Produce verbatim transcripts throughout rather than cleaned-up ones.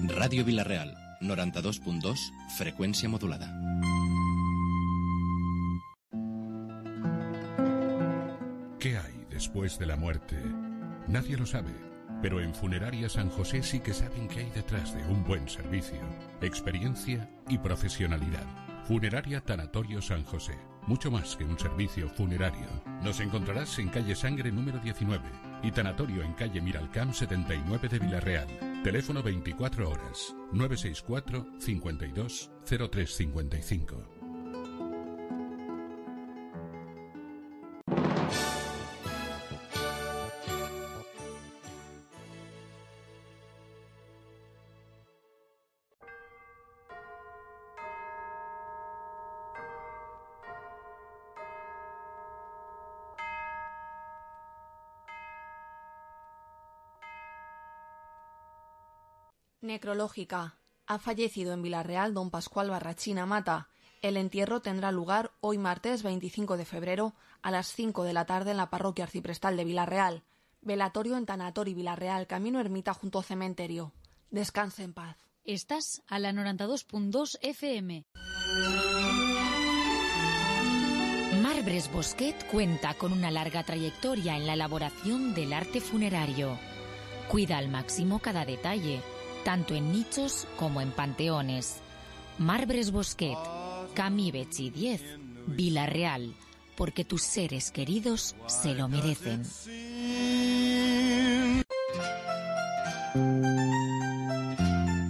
Radio Vila-real, noventa y dos punto dos, frecuencia modulada. ¿Qué hay después de la muerte? Nadie lo sabe, pero en Funeraria San José sí que saben qué hay detrás de un buen servicio, experiencia y profesionalidad. Funeraria Tanatorio San José, mucho más que un servicio funerario. Nos encontrarás en calle Sangre número diecinueve y Tanatorio en calle Miralcamp setenta y nueve de Vila-real. Teléfono veinticuatro horas, nueve seis cuatro, cincuenta y dos, cero tres cincuenta y cinco. Necrológica. Ha fallecido en Vila-real don Pascual Barrachina Mata. El entierro tendrá lugar hoy martes veinticinco de febrero a las cinco de la tarde en la parroquia arciprestal de Vila-real. Velatorio en Tanatori Vila-real, camino ermita junto al cementerio. Descanse en paz. Estás a la noventa y dos punto dos F M. Marbres Bosquet cuenta con una larga trayectoria en la elaboración del arte funerario. Cuida al máximo cada detalle, tanto en nichos como en panteones. Marbres Bosquet, Camí Betxí diez, Vila-real, porque tus seres queridos se lo merecen.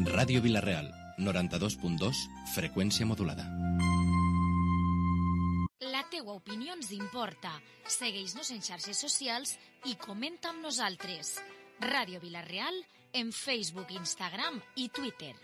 Radio Vila-real, noventa y dos punto dos, frecuencia modulada. La teua opinió ens importa. Segueix-nos en xarxes socials i comenta amb nosaltres. Radio Vila-real en Facebook, Instagram y Twitter.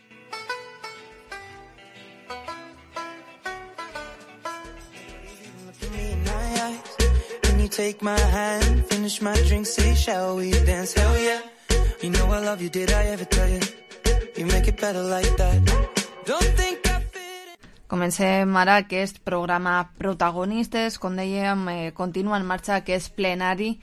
Comencem ara aquest programa Protagonistes. Com dèiem, eh, continua en marxa aquest plenari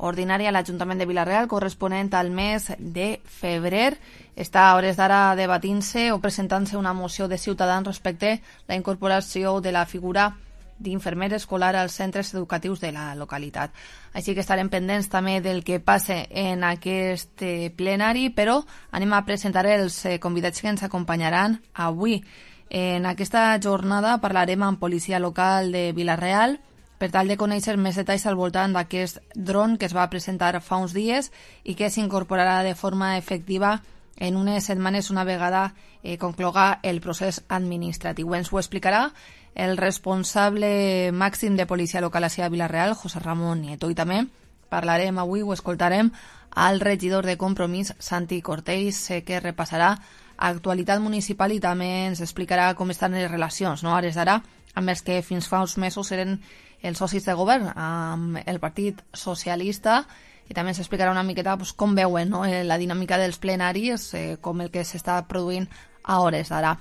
ordinari a l'Ajuntament de Vila-real corresponent al mes de febrer. Està a hores d'ara debatint-se o presentant-se una moció de Ciutadans respecte a la incorporació de la figura d'infermer escolar als centres educatius de la localitat. Així que estarem pendents també del que passe en aquest plenari, però anem a presentar els convidats que ens acompanyaran avui. En aquesta jornada parlarem amb policia local de Vila-real per tal de conèixer més detalls al voltant d'aquest dron que es va presentar fa uns dies i que s'incorporarà de forma efectiva en unes setmanes una vegada eh, concloga el procés administratiu. Ens ho explicarà el responsable màxim de policia local a Vila-real, José Ramón Nieto, i també parlarem avui, ho escoltarem, al regidor de Compromís, Santi Cortells, eh, que repassarà actualitat municipal i també ens explicarà com estan les relacions, no? Ara d'ara, amb els que fins fa uns mesos eren els socis de govern, amb el Partit Socialista, i també ens explicarà una miqueta pues, com veuen, no? la dinàmica dels plenaris, eh, com el que s'està produint a hores d'ara.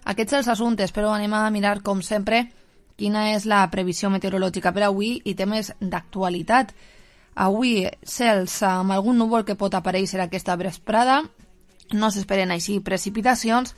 Aquests els assumptes, però anem a mirar, com sempre, quina és la previsió meteorològica per avui i temes d'actualitat. Avui, cels amb algun núvol que pot aparèixer aquesta vesprada, no s'esperen així precipitacions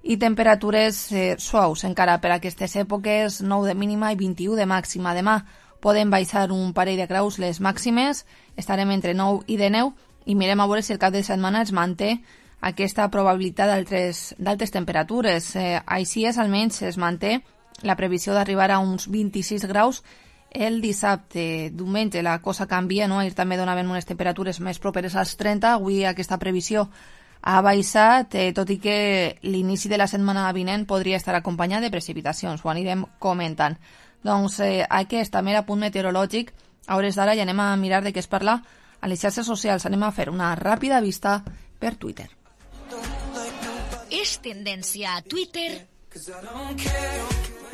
i temperatures eh, suaus encara per aquestes èpoques, nou de mínima i vint-i-u de màxima. Demà poden baixar un parell de graus les màximes, estarem entre nou i dinou i mirem a veure si el cap de setmana es manté aquesta probabilitat d'altes temperatures. Eh, així és, almenys es manté la previsió d'arribar a uns vint-i-sis graus el dissabte. Diumenge la cosa canvia, no? Ahir també donaven unes temperatures més properes als trenta, avui aquesta previsió ha baixat, eh, tot i que l'inici de la setmana vinent podria estar acompanyat de precipitacions, ho anirem comentant. Doncs eh, aquest també era punt meteorològic, a hores d'ara ja anem a mirar de què es parla a les xarxes socials, anem a fer una ràpida vista per Twitter. És tendència a Twitter.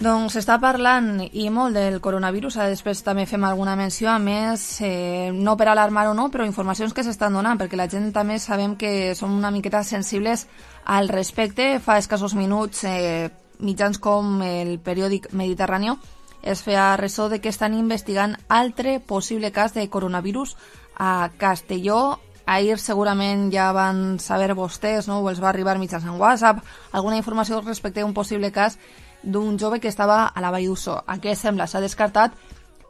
Doncs s'està parlant i molt del coronavirus, després també fem alguna menció, a més, eh, no per alarmar o no, però informacions que s'estan donant, perquè la gent també sabem que som una miqueta sensibles al respecte. Fa escassos minuts, eh, mitjans com el periòdic Mediterráneo es feia ressò de que estan investigant altre possible cas de coronavirus a Castelló. ahir segurament ja van saber vostès, no? O els va arribar mitjançant WhatsApp, alguna informació respecte a un possible cas d'un jove que estava a la Vall d'Uso. Aquest sembla s'ha descartat,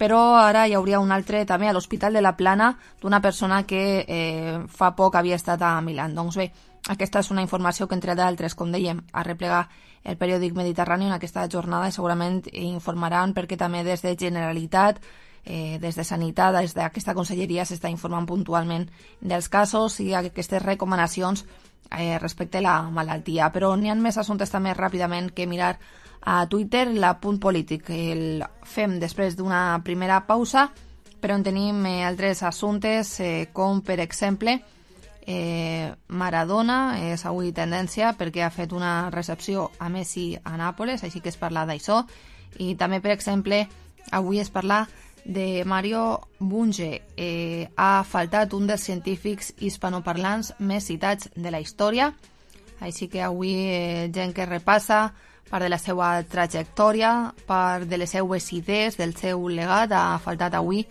però ara hi hauria un altre també a l'Hospital de la Plana d'una persona que eh, fa poc havia estat a Milà. Doncs bé, aquesta és una informació que, entre d'altres, com dèiem, a replegar el periòdic Mediterrani en aquesta jornada i segurament informaran perquè també des de Generalitat, eh, des de Sanitat, des d'aquesta conselleria s'està informant puntualment dels casos i aquestes recomanacions eh, respecte a la malaltia. Però n'hi ha més assumptes també ràpidament que mirar a Twitter, la Punt Polític. El fem després d'una primera pausa, però en tenim eh, altres assumptes, eh, com per exemple eh, Maradona, és avui tendència perquè ha fet una recepció a Messi a Nàpoles, així que es parla d'això, i també, per exemple, avui es parla de Mario Bunge. Eh, ha faltat un dels científics hispanoparlants més citats de la història, així que avui eh, gent que repassa part de la seva trajectòria, part de les seues idees, del seu legat, ha faltat avui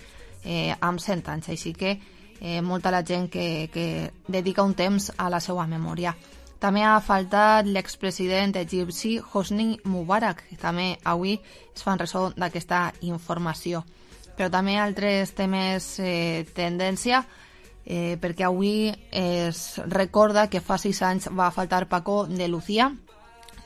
eh, amb cent anys, així que eh, molta la gent que, que dedica un temps a la seva memòria. També ha faltat l'expresident egipci Hosni Mubarak, també avui es fan ressò d'aquesta informació. Però també altres temes eh, tendència, eh, perquè avui es recorda que fa sis anys va faltar Paco de Lucía,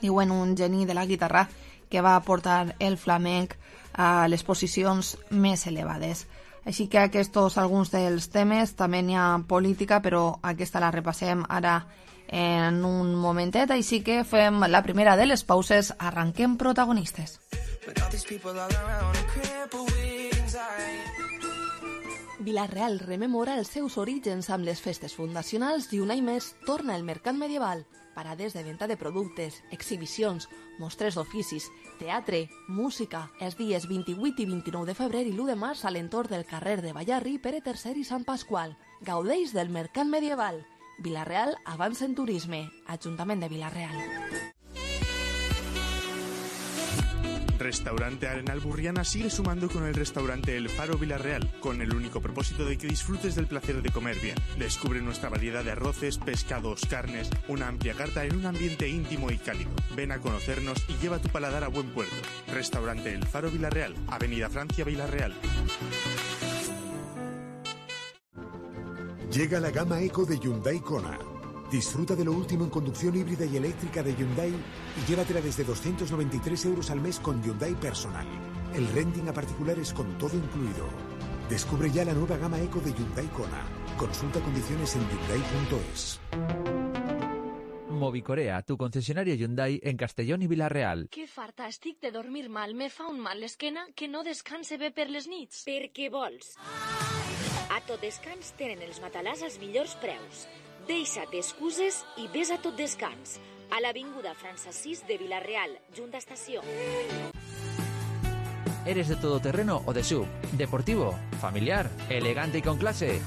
diuen un geni de la guitarra que va portar el flamenc a les posicions més elevades. Així que aquests alguns dels temes, també n'hi ha política, però aquesta la repassem ara en un momentet, així que fem la primera de les pauses, arranquem protagonistes. Vila-real rememora els seus orígens amb les festes fundacionals i un any més torna el mercat medieval. Parades de venda de productes, exhibicions, mostres d'oficis, teatre, música, els dies vint-i-vuit i vint-i-nou de febrer i l'u de març a l'entorn del carrer de Ballarri, Pere tercer i Sant Pasqual. Gaudeix del mercat medieval. Vila-real avança en turisme. Ajuntament de Vila-real. Restaurante Arenal Burriana sigue sumando con el restaurante El Faro Vila-real, con el único propósito de que disfrutes del placer de comer bien. Descubre nuestra variedad de arroces, pescados, carnes, una amplia carta en un ambiente íntimo y cálido. Ven a conocernos y lleva tu paladar a buen puerto. Restaurante El Faro Vila-real, Avenida Francia, Vila-real. Llega la gama Eco de Hyundai Kona. Disfruta de lo último en conducción híbrida y eléctrica de Hyundai y llévatela desde doscientos noventa y tres euros al mes con Hyundai Personal. El renting a particulares con todo incluido. Descubre ya la nueva gama Eco de Hyundai Kona. Consulta condiciones en hyundai punto es. Movicorea, tu concesionario Hyundai en Castellón i Vila-real. Que farta estic de dormir mal. Me fa un mal l'esquena que no descanse bé per les nits. Per què vols? A Tot Descans tenen els matalàs als millors preus. Deixa't excuses i ves a Tot Descans, a l'avinguda França sis de Vila-real, junt a estació. ¿Eres de todoterreno o de sub? ¿Deportivo? ¿Familiar? ¿Elegante y con clase?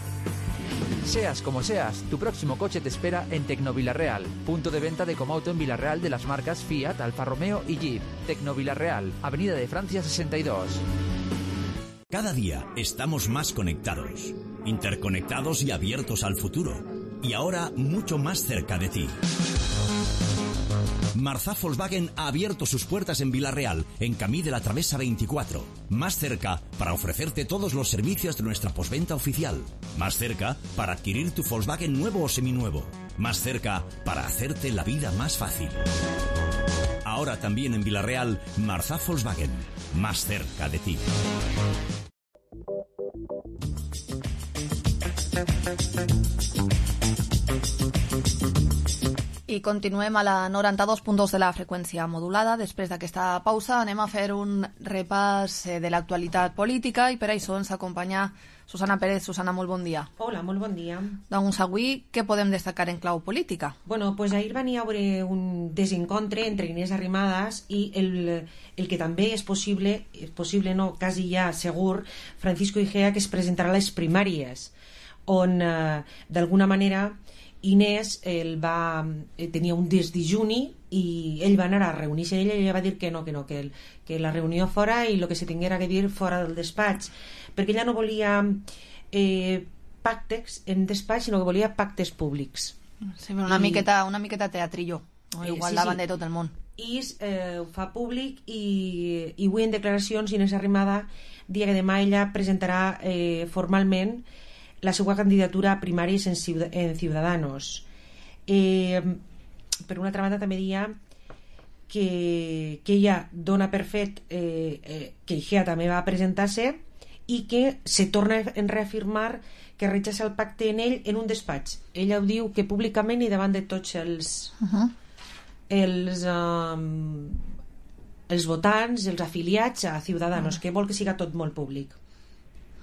Seas como seas, tu próximo coche te espera en Tecno Vila-real, punto de venta de Comauto en Vila-real de las marcas Fiat, Alfa Romeo y Jeep. Tecno Vila-real, Avenida de Francia sesenta y dos. Cada día estamos más conectados, interconectados y abiertos al futuro. Y ahora mucho más cerca de ti. Marzá Volkswagen ha abierto sus puertas en Vila-real, en Camí de la Travesa veinticuatro. Más cerca para ofrecerte todos los servicios de nuestra postventa oficial. Más cerca para adquirir tu Volkswagen nuevo o seminuevo. Más cerca para hacerte la vida más fácil. Ahora también en Vila-real, Marzá Volkswagen. Más cerca de ti. I continuem a la noranta-dos punt dos de la freqüència modulada. Després d'aquesta pausa anem a fer un repàs de l'actualitat política i per això ens acompanya Susana Pérez. Susana, molt bon dia. Hola, molt bon dia. Doncs avui què podem destacar en clau política? Bueno, pues ahir va haver un desencontre entre Inés Arrimadas i el, el que també és possible, és possible no, quasi ja segur, Francisco Igea, que es presentarà a les primàries, on eh, d'alguna manera Inés el va, eh, tenia un desdijuni i ell va anar a reunir-se ella i ella va dir que no, que no, que, el, que la reunió fora i el que se tinguera que dir fora del despatx, perquè ella no volia eh, pactes en despatx, sinó que volia pactes públics. Sí, però una, I... miqueta, una miqueta teatrillo, no? Igual sí, davant sí. de tot el món. I eh, ho fa públic i, i avui en declaracions Inés Arrimada dia que demà ella presentarà eh, formalment la seva candidatura a primàries en, en Ciudadanos. Eh, per una altra banda també dia que, que ella dona per fet eh, eh, que Igea també va presentar-se i que se torna a reafirmar que rechaça el pacte en ell en un despatx. Ella ho diu que públicament i davant de tots els... Uh-huh. els um, els votants, els afiliats a Ciudadanos, uh-huh. que vol que siga tot molt públic.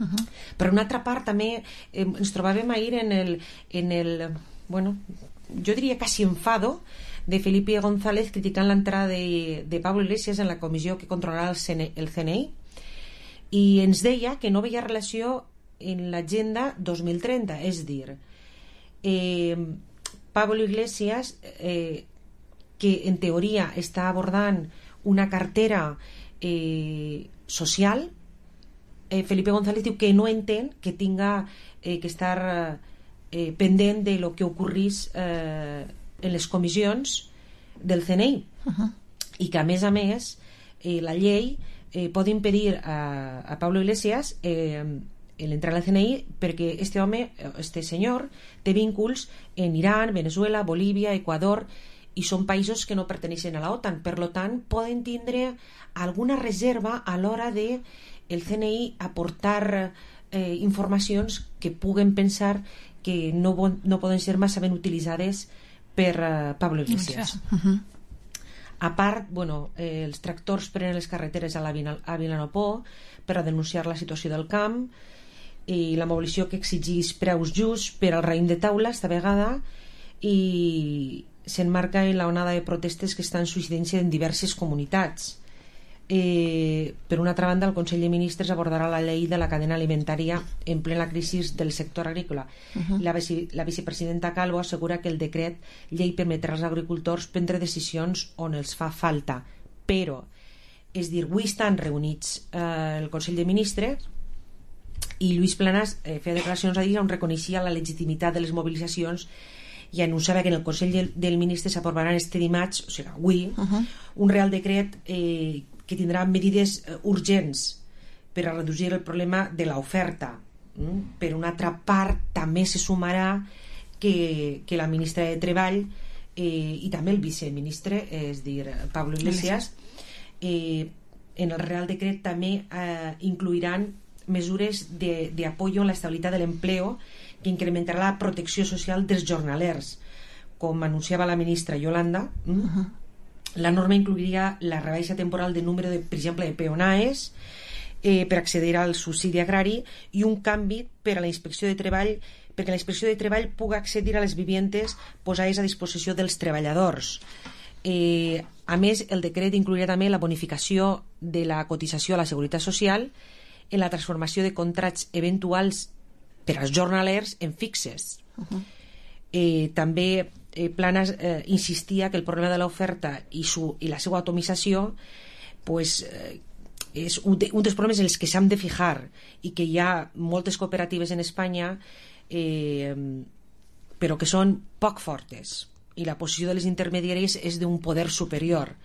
Uh-huh. Per una altra part també eh, ens trobàvem ahir en el, en el bueno, jo diria quasi enfado de Felipe González criticant l'entrada de, de Pablo Iglesias en la comissió que controlarà el C N I i ens deia que no veia relació en l'agenda dos mil trenta, és dir eh, Pablo Iglesias eh, que en teoria està abordant una cartera eh, social, eh, Felipe González diu que no entén que tinga eh, que estar eh, pendent de lo que ocorrís eh, en les comissions del C N I uh-huh. i que a més a més eh, la llei eh, pot impedir a, a Pablo Iglesias eh, l'entrar al C N I perquè este home, este senyor té vínculs en Iran, Venezuela, Bolívia, Equador i són països que no perteneixen a la OTAN, per lo tant poden tindre alguna reserva a l'hora de el C N I aportar eh, informacions que puguen pensar que no, no poden ser massa ben utilitzades per uh, Pablo Iglesias. Uh-huh. A part, bueno, eh, els tractors prenen les carreteres a, la Vina, a Vilanopó per a denunciar la situació del camp i la mobilització que exigís preus justs per al raïm de taula esta vegada i s'enmarca en la onada de protestes que estan suïcidant-se en diverses comunitats. Eh, per una altra banda, el Consell de Ministres abordarà la llei de la cadena alimentària en plena crisi del sector agrícola. Uh-huh. La, vice, la vicepresidenta Calvo assegura que el decret llei permetrà als agricultors prendre decisions on els fa falta, però, és dir, avui estan reunits eh, el Consell de Ministres i Lluís Planas eh, feia declaracions a dir on reconeixia la legitimitat de les mobilitzacions i anunciava que en el Consell del, del Ministre s'aprovaran este dimarts, o sigui, avui, uh-huh. un real decret eh, que tindrà medides eh, urgents per a reduir el problema de l'oferta. Mm? Per una altra part, també se sumarà que, que la ministra de Treball eh, i també el viceministre, eh, és dir, Pablo Iglesias, eh, en el real decret també eh, incluiran mesures de, de apoyo a la estabilitat de l'empleo que incrementarà la protecció social dels jornalers, com anunciava la ministra Yolanda. Uh-huh. La norma incluiria la rebaixa temporal de número, de, per exemple, de peonaes eh, per accedir al subsidi agrari i un canvi per a la inspecció de treball perquè la inspecció de treball pugui accedir a les viviendes posades a disposició dels treballadors. Eh, a més, el decret inclouria també la bonificació de la cotització a la Seguretat Social en la transformació de contrats eventuals per als jornalers en fixes. Uh-huh. Eh, també eh, Planas eh, insistia que el problema de l'oferta i, su, i la seva atomització pues, eh, és un, de, un dels problemes en els que s'han de fijar i que hi ha moltes cooperatives en Espanya eh, però que són poc fortes i la posició de les intermediàries és d'un poder superior.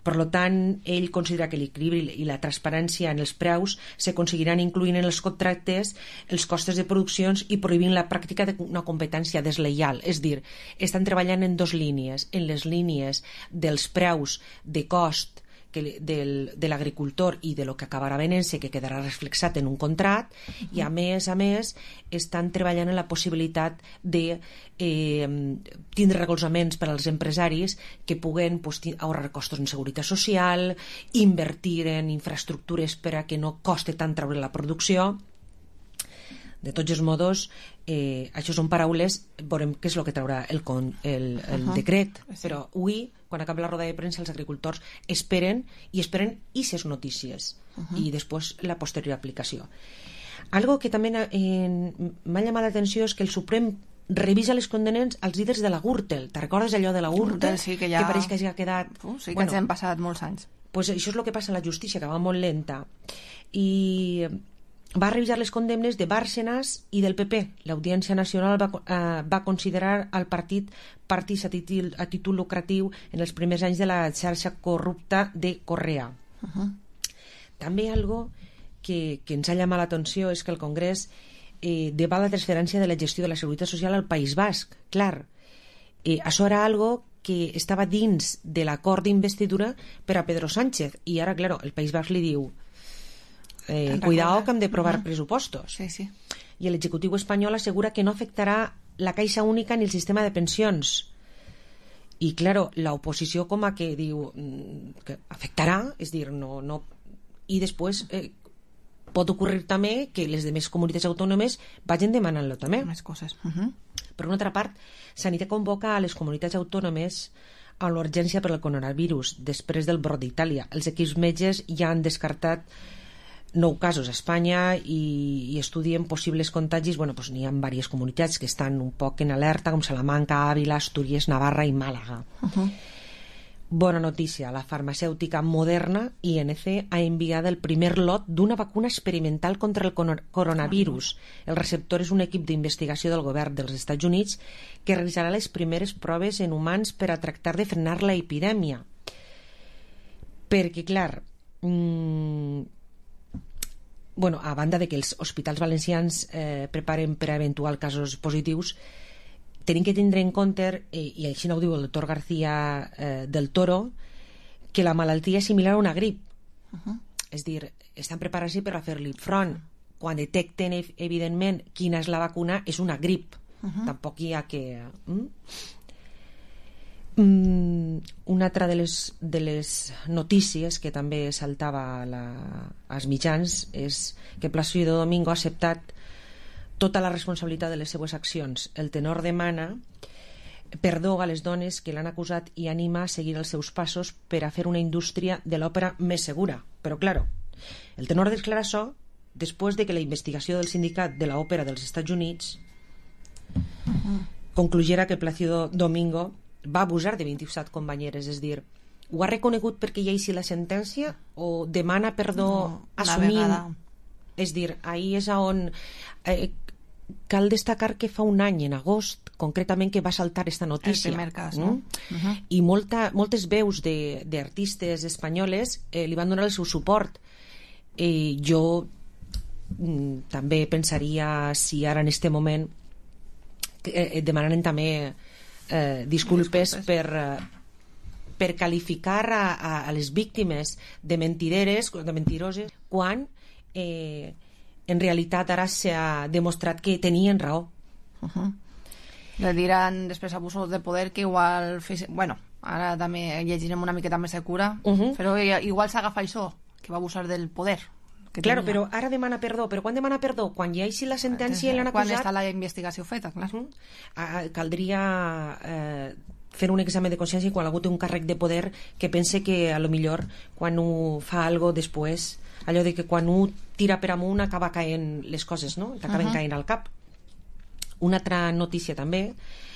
Per tant, ell considera que l'equilibri i la transparència en els preus s'aconseguiran incloent en els contractes els costes de produccions i prohibint la pràctica d'una competència desleial. És dir, estan treballant en dues línies, en les línies dels preus de cost que del, de l'agricultor i de lo que acabarà venent-se, que quedarà reflexat en un contracte, uh-huh. i a més a més estan treballant en la possibilitat de eh, tindre recolzaments per als empresaris que puguen pues, ahorrar costos en seguretat social, invertir en infraestructures per a que no coste tant treure la producció. De tots els modos, eh, això són paraules, veurem què és el que traurà el, el, el uh-huh. decret, però avui, quan acaba la roda de premsa, els agricultors esperen i esperen ixes notícies uh-huh. i després la posterior aplicació. Algo que també eh, m'ha llamat l'atenció és que el Suprem revisa les condenes als líders de la Gürtel. Te recordes allò de la Gürtel? Sí, que, ja... que pareix que hagi quedat... Uh, sí, que bueno, ens hem passat molts anys. Pues això és el que passa a la justícia, que va molt lenta. I va revisar les condemnes de Bárcenas i del P P. L'Audiència Nacional va, eh, va considerar el partit partits a títol, a títol lucratiu en els primers anys de la xarxa corrupta de Correa. Uh-huh. També algo que, que ens ha llamat l'atenció és que el Congrés eh, debat la transferència de la gestió de la Seguretat Social al País Basc. Clar, eh, això era algo que estava dins de l'acord d'investidura per a Pedro Sánchez, i ara, claro, el País Basc li diu eh, cuidado que hem de provar uh-huh. pressupostos. Sí, sí. I l'executiu espanyol assegura que no afectarà la caixa única ni el sistema de pensions. I, claro, l'oposició com a que diu que afectarà, és dir, no... no i després eh, pot ocórrer també que les demés comunitats autònomes vagin demanant-lo també. Més coses. Uh-huh. Per una altra part, Sanitat convoca a les comunitats autònomes a l'urgència per al coronavirus després del brot d'Itàlia. Els equips metges ja han descartat nou casos a Espanya i, i estudien possibles contagis. Bueno, doncs n'hi ha diverses comunitats que estan un poc en alerta, com Salamanca, Ávila, Astúries, Navarra i Màlaga. Uh-huh. Bona notícia, la farmacèutica Moderna, I N C, ha enviat el primer lot d'una vacuna experimental contra el coronavirus. El receptor és un equip d'investigació del govern dels Estats Units que realitzarà les primeres proves en humans per a tractar de frenar la epidèmia. Perquè, clar, mmm, bueno, a banda de que els hospitals valencians eh, preparen per a eventuals casos positius, tenim que tindre en compte, eh, i així no ho diu el doctor García eh, del Toro, que la malaltia és similar a una grip. Uh-huh. És dir, estan preparats per a fer-li front. Quan detecten, evidentment, quina és la vacuna, és una grip. Uh-huh. Tampoc hi ha que... Mm? Mm, una altra de les, de les notícies que també saltava la, als mitjans és que Plácido Domingo ha acceptat tota la responsabilitat de les seues accions. El tenor demana perdó a les dones que l'han acusat i anima a seguir els seus passos per a fer una indústria de l'òpera més segura. Però, claro, el tenor declara això després de que la investigació del sindicat de l'òpera dels Estats Units uh-huh. concluyera que Plácido Domingo va abusar de vint-i-set companyeres, és dir, ho ha reconegut perquè hi ha així la sentència o demana perdó no, assumint... És dir, ahir és on... Eh, cal destacar que fa un any, en agost, concretament, que va saltar esta notícia. El primer cas, no? Mm? Uh-huh. I molta, moltes veus d'artistes espanyoles eh, li van donar el seu suport. Eh, jo mm, també pensaria, si ara en este moment eh, demanaran també eh, disculpes, disculpes per... Eh, per qualificar a, a, a les víctimes de mentideres, de mentiroses, quan eh, en realitat ara s'ha demostrat que tenien raó. Uh-huh. Le diran després abusos de poder que igual... Bueno, ara també llegirem una miqueta més de cura, uh-huh. però igual s'agafa això, que va abusar del poder. Que claro, tenia. Però ara demana perdó. Però quan demana perdó? Quan ja hi la sentència i l'han acusat... Quan està la investigació feta, clar. Uh-huh. Ah, caldria... Eh, fer un examen de consciència quan algú té un càrrec de poder que pense que a lo millor quan ho fa algo després, allò de que quan ho tira per amunt acaba caent les coses, no? T'acaben uh-huh. caent al cap. Una altra notícia també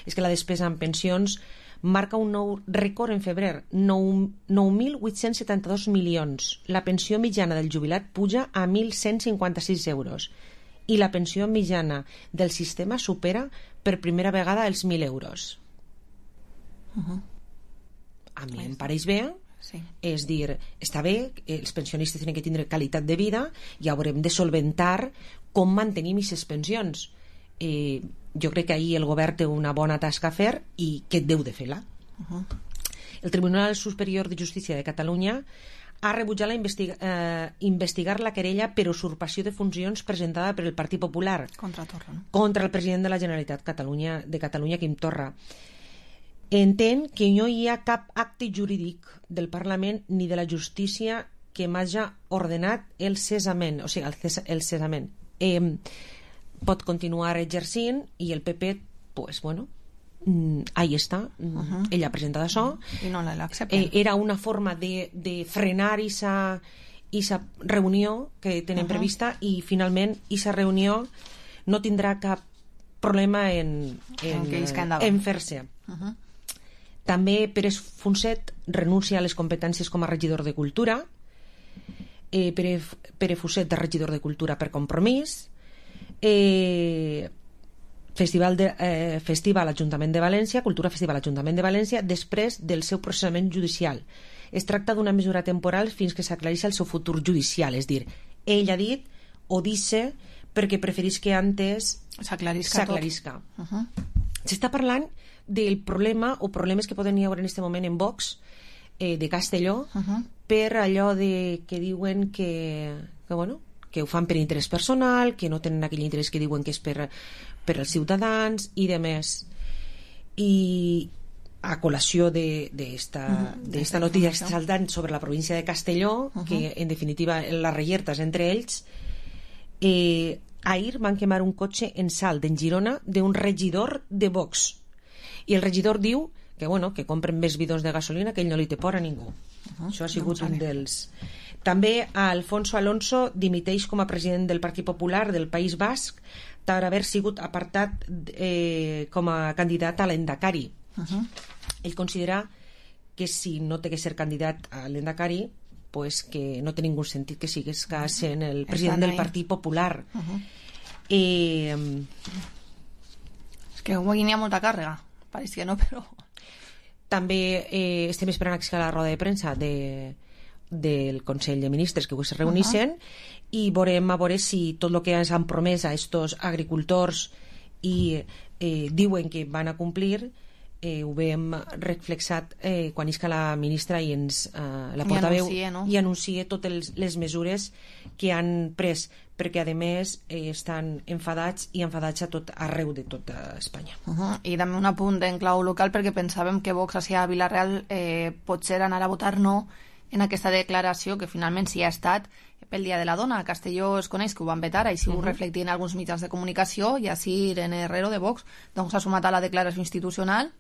és que la despesa en pensions marca un nou rècord en febrer, nou mil vuit-cents setanta-dos milions. La pensió mitjana del jubilat puja a mil cent cinquanta-sis euros i la pensió mitjana del sistema supera per primera vegada els mil euros. Uh-huh. A mi em pareix bé, sí. És dir, està bé, els pensionistes tenen que tindre qualitat de vida i haurem de solventar com mantenim aquestes pensions. Eh, jo crec que ahir el govern té una bona tasca a fer i que deu de fer-la. Uh-huh. El Tribunal Superior de Justícia de Catalunya ha rebutjat la investiga, eh, investigar la querella per usurpació de funcions presentada per el Partit Popular contra Torra, no? Contra el president de la Generalitat Catalunya, de Catalunya, Quim Torra. Entén que no hi ha cap acte jurídic del Parlament ni de la justícia que m'hagi ordenat el cessament, o sigui, el, ces el cessament. Eh, pot continuar exercint i el P P, pues bueno, mm, ahí està. Uh-huh. Ell ha presentat això. I no l'accepten. Eh, era una forma de, de frenar esa, esa reunió que tenen uh-huh. prevista i finalment esa reunió no tindrà cap problema en, en, en, en fer-se. Uh-huh. També Pérez Funcet renuncia a les competències com a regidor de Cultura. eh, Pere, Pere Fuset, de regidor de Cultura per Compromís, eh, Festival, de, eh, Festival Ajuntament de València, Cultura Festival Ajuntament de València, després del seu processament judicial. Es tracta d'una mesura temporal fins que s'aclareixi el seu futur judicial, és dir, ell ha dit o dice perquè preferís que antes s'aclarisca tot. Uh -huh. S'està parlant del problema o problemes que poden hi haver en aquest moment en Vox eh, de Castelló uh -huh. per allò de que diuen que, que, bueno, que ho fan per interès personal, que no tenen aquell interès que diuen que és per, per als ciutadans i de més. I a col·lació d'esta uh -huh. notícia saltant sobre la província de Castelló, uh -huh. que en definitiva la reyerta és entre ells, eh, ahir van quemar un cotxe en Salt, en Girona, d'un regidor de Vox. I el regidor diu que, bueno, que compren més bidons de gasolina, que ell no li té por a ningú. Uh -huh. Això ha sigut no un dels... També Alfonso Alonso dimiteix com a president del Partit Popular del País Basc per haver sigut apartat eh, com a candidat a l'Endacari. Uh -huh. Ell considera que si no té que ser candidat a l'Endacari, pues que no té ningú sentit que sigues que sent el president del Partit Popular. Uh -huh. eh, és que avui n'hi ha molta càrrega, pareix que no, però... També eh, estem esperant que la roda de premsa de, del Consell de Ministres que avui se reunissin, uh -huh. i veurem a veure si tot el que ens han promès a estos agricultors i eh, diuen que van a complir, eh, ho veiem reflexat eh, quan isca la ministra i ens eh, la portaveu i, no? i anuncia totes les mesures que han pres, perquè a més eh, estan enfadats i enfadats a tot arreu de tota Espanya. Uh -huh. I també un apunt en clau local, perquè pensàvem que Vox a Vila-real eh, potser anar a votar no en aquesta declaració que finalment sí ha estat pel Dia de la Dona. A Castelló es coneix que ho van vetar, així uh -huh. ho reflectien alguns mitjans de comunicació, i així Irene Herrero de Vox doncs s'ha sumat a la declaració institucional.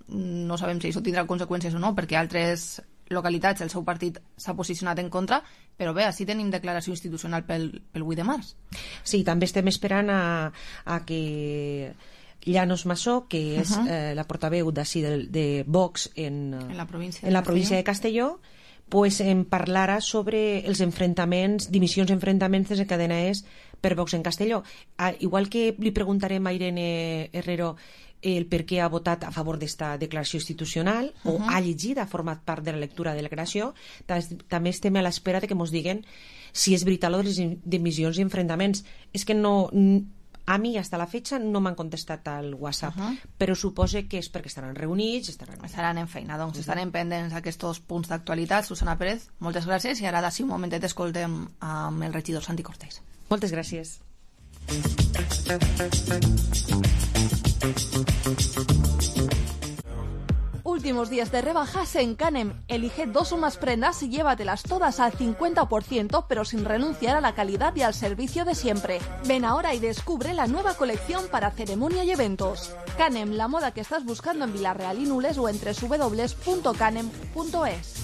No sabem si això tindrà conseqüències o no, perquè altres localitats el seu partit s'ha posicionat en contra, però bé, així tenim declaració institucional pel, pel vuit de març. Sí, també estem esperant a, a que Llanos Massó, que és uh -huh. eh, la portaveu d'ací de, de Vox en, en la província en de la província de Castelló, pues en parlarà sobre els enfrontaments, dimissions enfrontaments desencadenades per Vox en Castelló. Ah, igual que li preguntarem a Irene Herrero el per què ha votat a favor d'esta declaració institucional, uh -huh. o ha llegit, ha format part de la lectura de la declaració, també estem a l'espera de que ens diguen si és veritat lo de les dimissions i enfrontaments. És que no... A mi, fins a la fetge, no m'han contestat al WhatsApp, uh -huh. però supose que és perquè estaran reunits, estaran... Estaran en feina, doncs uh -huh. estarem pendents d'aquests punts d'actualitat. Susana Pérez, moltes gràcies, i ara d'ací un momentet escoltem amb el regidor Santi Cortés. Moltes gràcies. Últimos días de rebajas en Canem. Elige dos o más prendas y llévatelas todas al cincuenta por ciento, pero sin renunciar a la calidad y al servicio de siempre. Ven ahora y descubre la nueva colección para ceremonia y eventos. Canem, la moda que estás buscando en Vila-real y Nules o en doble u doble u doble u punto canem punto es.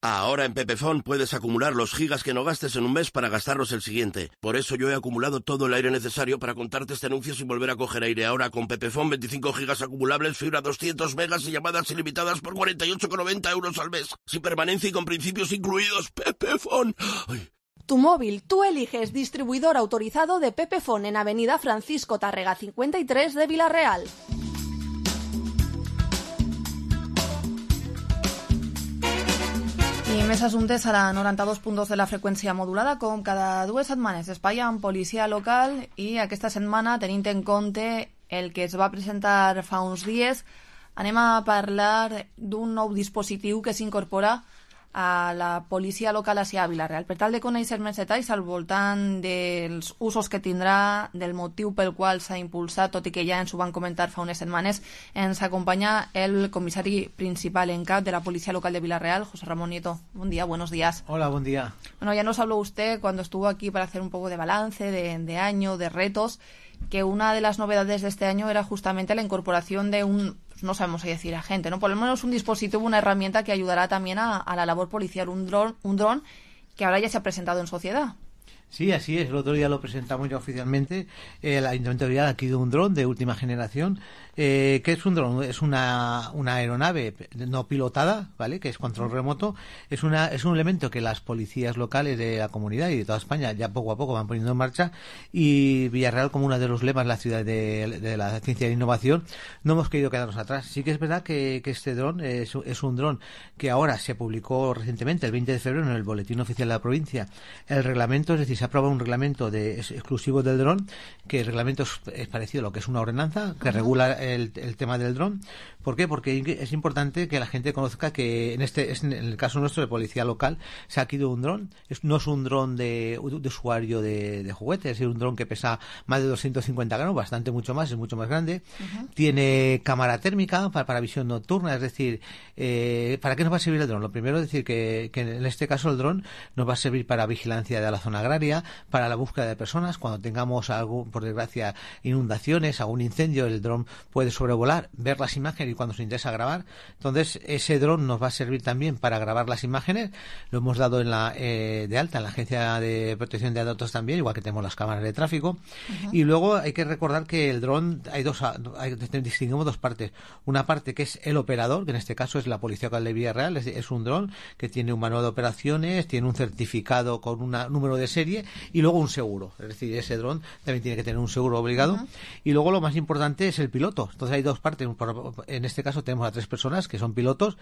Ahora en Pepefon puedes acumular los gigas que no gastes en un mes para gastarlos el siguiente. Por eso yo he acumulado todo el aire necesario para contarte este anuncio sin volver a coger aire. Ahora con Pepefon, veinticinco gigas acumulables, fibra doscientos megas y llamadas ilimitadas por cuarenta y ocho con noventa euros al mes. Sin permanencia y con principios incluidos. Pepefon. Ay. Tu móvil, tú eliges. Distribuidor autorizado de Pepefon en Avenida Francisco Tárrega cincuenta y tres de Vila-real. I més assumptes a la noranta-dos punt dos de la freqüència modulada, com cada dues setmanes. Espai amb policia local, i aquesta setmana, tenint en compte el que es va presentar fa uns dies, anem a parlar d'un nou dispositiu que s'incorpora a la policia local a Vila-real. Per tal de conèixer més detalls al voltant dels usos que tindrà, del motiu pel qual s'ha impulsat, tot i que ja ens ho van comentar fa unes setmanes, ens acompanya el comissari principal en cap de la Policía Local de Vila-real, José Ramón Nieto. Buen día, buenos días. Hola, buen día. Bueno, ya nos habló usted cuando estuvo aquí para hacer un poco de balance, de, de año, de retos, que una de las novedades de este año era justamente la incorporación de un, no sabemos si decir agente, ¿no? Por lo menos un dispositivo, una herramienta que ayudará también a, a la labor policial, un dron, un dron que ahora ya se ha presentado en sociedad. Sí, así es. El otro día lo presentamos ya oficialmente. El Ayuntamiento de Villarreal ha adquirido un dron de última generación. Eh, ¿Qué es un dron? Es una, una aeronave no pilotada, ¿vale? Que es control remoto. Es una es un elemento que las policías locales de la comunidad y de toda España ya poco a poco van poniendo en marcha. Y Villarreal, como uno de los lemas de la ciudad de, de la ciencia y la innovación, no hemos querido quedarnos atrás. Sí que es verdad que, que este dron es, es un dron que ahora se publicó recientemente, el veinte de febrero, en el Boletín Oficial de la Provincia, el reglamento, es decir, se aprueba un reglamento de, es, exclusivo del dron, que el reglamento es, es parecido a lo que es una ordenanza, que uh-huh. regula el, el tema del dron. ¿Por qué? Porque es importante que la gente conozca que en este en el caso nuestro de policía local se ha adquirido un dron. Es, no es un dron de, de usuario de, de juguete, es un dron que pesa más de doscientos cincuenta gramos, bastante mucho más, es mucho más grande. Uh-huh. Tiene cámara térmica para, para visión nocturna, es decir, eh, ¿para qué nos va a servir el dron? Lo primero es decir que, que en este caso el dron nos va a servir para vigilancia de la zona agraria, para la búsqueda de personas. Cuando tengamos algo, por desgracia, inundaciones, algún incendio, el dron puede sobrevolar, ver las imágenes y cuando se interesa grabar. Entonces ese dron nos va a servir también para grabar las imágenes. Lo hemos dado en la eh, de alta en la Agencia de Protección de Datos también, igual que tenemos las cámaras de tráfico. Uh-huh. Y luego hay que recordar que el dron hay dos hay, distinguimos dos partes. Una parte que es el operador, que en este caso es la Policía Local de Villarreal, es, es un dron que tiene un manual de operaciones, tiene un certificado con un número de serie y luego un seguro. Es decir, ese dron también tiene que tener un seguro obligado. Uh-huh. Y luego lo más importante es el piloto. Entonces hay dos partes. En este caso tenemos a tres personas que son pilotos.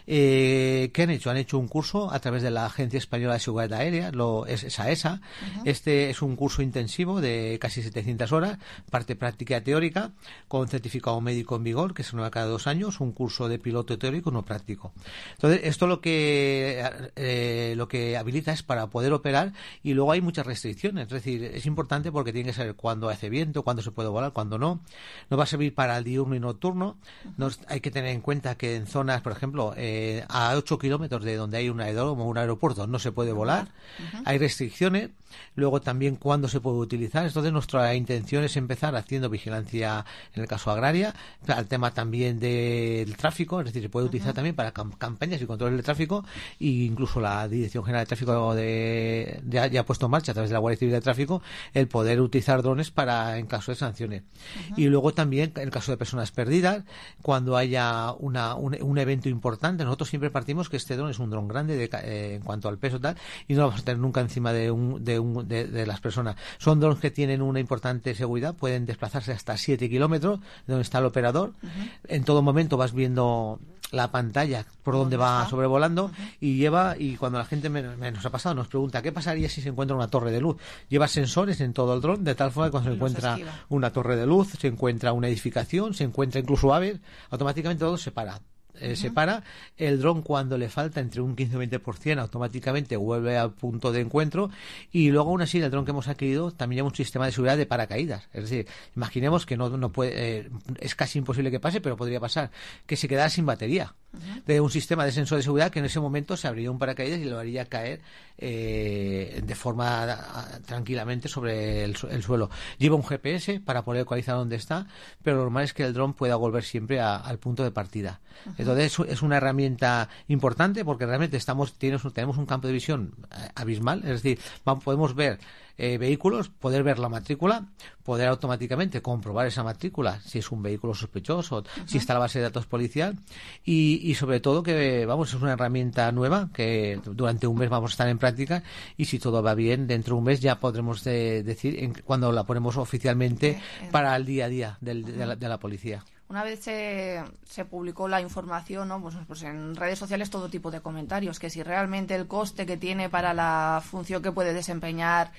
Eh, ¿Qué han hecho? Han hecho un curso a través de la Agencia Española de Seguridad Aérea, lo, es, es AESA. Uh-huh. Este es un curso intensivo de casi setecientas horas, parte práctica y teórica, con certificado médico en vigor, que se renueva cada dos años, un curso de piloto teórico y uno práctico. Entonces, esto lo que eh, lo que habilita es para poder operar, y luego hay muchas restricciones. Es decir, es importante porque tiene que saber cuándo hace viento, cuándo se puede volar, cuándo no. Nos va a servir para el diurno y nocturno. Nos, hay que tener en cuenta que en zonas, por ejemplo, eh, a ocho kilómetros de donde hay un aeródromo o un aeropuerto no se puede volar. Uh-huh. Hay restricciones. Luego también cuándo se puede utilizar. Entonces nuestra intención es empezar haciendo vigilancia, en el caso agraria, al tema también del tráfico, es decir, se puede utilizar uh-huh. también para cam- campañas y control del tráfico, e incluso la Dirección General de Tráfico de, de, ya ha puesto en marcha a través de la Guardia Civil de Tráfico el poder utilizar drones para en caso de sanciones. Uh-huh. Y luego también en el caso de personas perdidas, cuando haya una, un, un evento importante, nosotros siempre partimos que este dron es un dron grande de, eh, en cuanto al peso tal, y no lo vamos a tener nunca encima de un, de, un, de, de las personas. Son drones que tienen una importante seguridad, pueden desplazarse hasta siete kilómetros de donde está el operador. Uh-huh. En todo momento vas viendo la pantalla por donde va sobrevolando. Uh-huh. y lleva, y cuando la gente me, me nos ha pasado, nos pregunta ¿qué pasaría si se encuentra una torre de luz? Lleva sensores en todo el dron, de tal forma que cuando se encuentra una torre de luz, se encuentra una edificación, se encuentra incluso aves, automáticamente todo se para. Eh, uh-huh. se para, el dron cuando le falta entre un quince o veinte por ciento automáticamente vuelve al punto de encuentro, y luego aún así el dron que hemos adquirido también lleva un sistema de seguridad de paracaídas. Es decir, imaginemos que no, no puede, eh, es casi imposible que pase, pero podría pasar que se quedara sin batería. Uh-huh. De un sistema de sensor de seguridad que en ese momento se abriría un paracaídas y lo haría caer eh, de forma a, tranquilamente sobre el, el suelo. Lleva un G P S para poder localizar dónde está, pero lo normal es que el dron pueda volver siempre a, al punto de partida. Uh-huh. Entonces es una herramienta importante porque realmente estamos tenemos, tenemos un campo de visión abismal, es decir, vamos, podemos ver eh, vehículos, poder ver la matrícula, poder automáticamente comprobar esa matrícula, si es un vehículo sospechoso, uh-huh. si está la base de datos policial, y, y sobre todo que, vamos, es una herramienta nueva que durante un mes vamos a estar en práctica, y si todo va bien, dentro de un mes ya podremos de, decir en, cuando la ponemos oficialmente eh, eh. para el día a día del, uh-huh. de, la, de la policía. Una vez se, se publicó la información, ¿no? pues, pues en redes sociales todo tipo de comentarios, que si realmente el coste que tiene para la función que puede desempeñar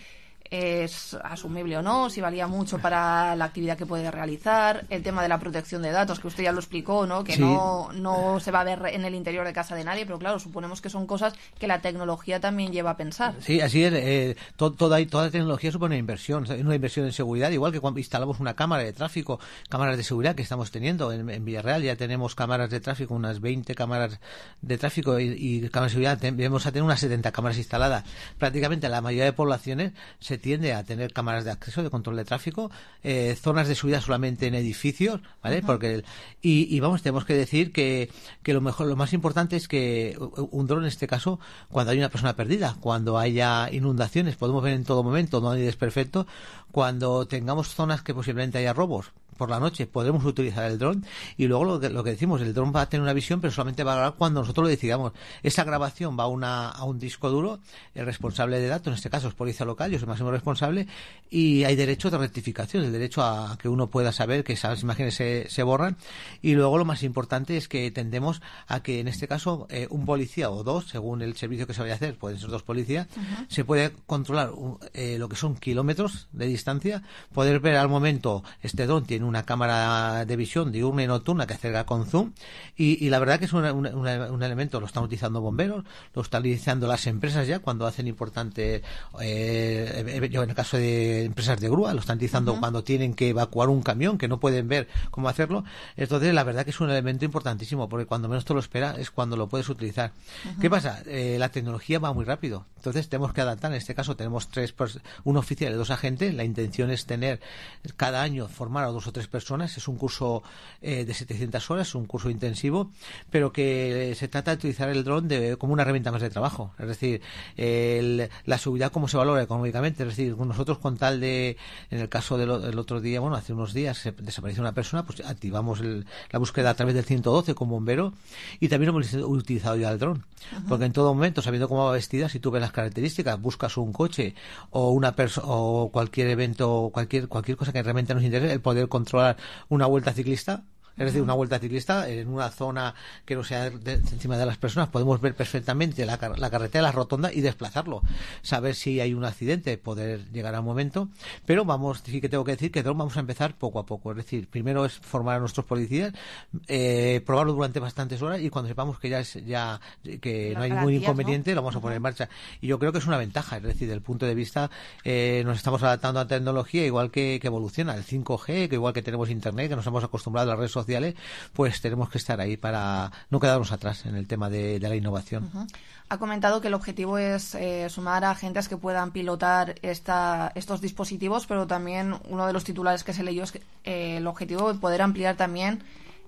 es asumible o no, si valía mucho para la actividad que puede realizar, el tema de la protección de datos, que usted ya lo explicó, ¿no? Que sí. no, no se va a ver en el interior de casa de nadie, pero claro, suponemos que son cosas que la tecnología también lleva a pensar. Sí, así es. Eh, to, toda, toda tecnología supone una inversión, una inversión en seguridad, igual que cuando instalamos una cámara de tráfico, cámaras de seguridad que estamos teniendo en, en Villarreal, ya tenemos cámaras de tráfico, unas veinte cámaras de tráfico y, y cámaras de seguridad, debemos tener unas setenta cámaras instaladas. Prácticamente la mayoría de poblaciones se tiende a tener cámaras de acceso, de control de tráfico, eh, zonas de subida solamente en edificios, ¿vale? Uh-huh. Porque el, y, y vamos, tenemos que decir que, que lo mejor, lo más importante es que un dron en este caso, cuando hay una persona perdida, cuando haya inundaciones, podemos ver en todo momento, no hay desperfecto, cuando tengamos zonas que posiblemente haya robos por la noche, podremos utilizar el dron. Y luego lo que, lo que decimos, el dron va a tener una visión, pero solamente va a grabar cuando nosotros lo decidamos. Esa grabación va a, una, a un disco duro, el responsable de datos, en este caso es policía local, yo soy el máximo responsable, y hay derecho de rectificación, el derecho a que uno pueda saber que esas imágenes se, se borran. Y luego lo más importante es que tendemos a que en este caso eh, un policía o dos, según el servicio que se vaya a hacer, pueden ser dos policías, uh-huh. se puede controlar eh, lo que son kilómetros de distancia, poder ver al momento, este dron tiene una cámara de visión diurna y nocturna que acerca con zoom, y, y la verdad que es una, una, una, un elemento, lo están utilizando bomberos, lo están utilizando las empresas ya cuando hacen importante, eh, yo en el caso de empresas de grúa, lo están utilizando uh-huh. cuando tienen que evacuar un camión, que no pueden ver cómo hacerlo. Entonces la verdad que es un elemento importantísimo, porque cuando menos te lo espera es cuando lo puedes utilizar. Uh-huh. ¿Qué pasa? Eh, la tecnología va muy rápido, entonces tenemos que adaptar. En este caso tenemos tres, un oficial y dos agentes. La intención es tener cada año, formar a dos o tres personas. Es un curso eh, de setecientas horas, es un curso intensivo, pero que se trata de utilizar el dron de, como una herramienta más de trabajo. Es decir, el, la seguridad cómo se valora económicamente. Es decir, nosotros con tal de, en el caso del, del otro día, bueno, hace unos días se desapareció una persona, pues activamos el, la búsqueda a través del ciento doce con bombero, y también hemos utilizado ya el dron. Uh-huh. Porque en todo momento, sabiendo cómo va vestida, si tú ves las características, buscas un coche o una persona o cualquier evento, cualquier cualquier cosa que realmente nos interese, el poder controlar una vuelta ciclista, es decir, una vuelta ciclista en una zona que no sea de, de encima de las personas, podemos ver perfectamente la, la carretera, la rotonda y desplazarlo, saber si hay un accidente, poder llegar al momento. Pero vamos, sí que tengo que decir que vamos a empezar poco a poco, es decir, primero es formar a nuestros policías, eh, probarlo durante bastantes horas, y cuando sepamos que ya es ya que no hay ningún inconveniente, lo vamos a poner en marcha. Y yo creo que es una ventaja, es decir, desde el punto de vista eh, nos estamos adaptando a la tecnología igual que, que evoluciona el cinco G, que igual que tenemos internet, que nos hemos acostumbrado a las redes sociales, pues tenemos que estar ahí para no quedarnos atrás en el tema de, de la innovación. Uh-huh. Ha comentado que el objetivo es eh, sumar a agentes que puedan pilotar esta, estos dispositivos, pero también uno de los titulares que se leyó es que, eh, el objetivo es poder ampliar también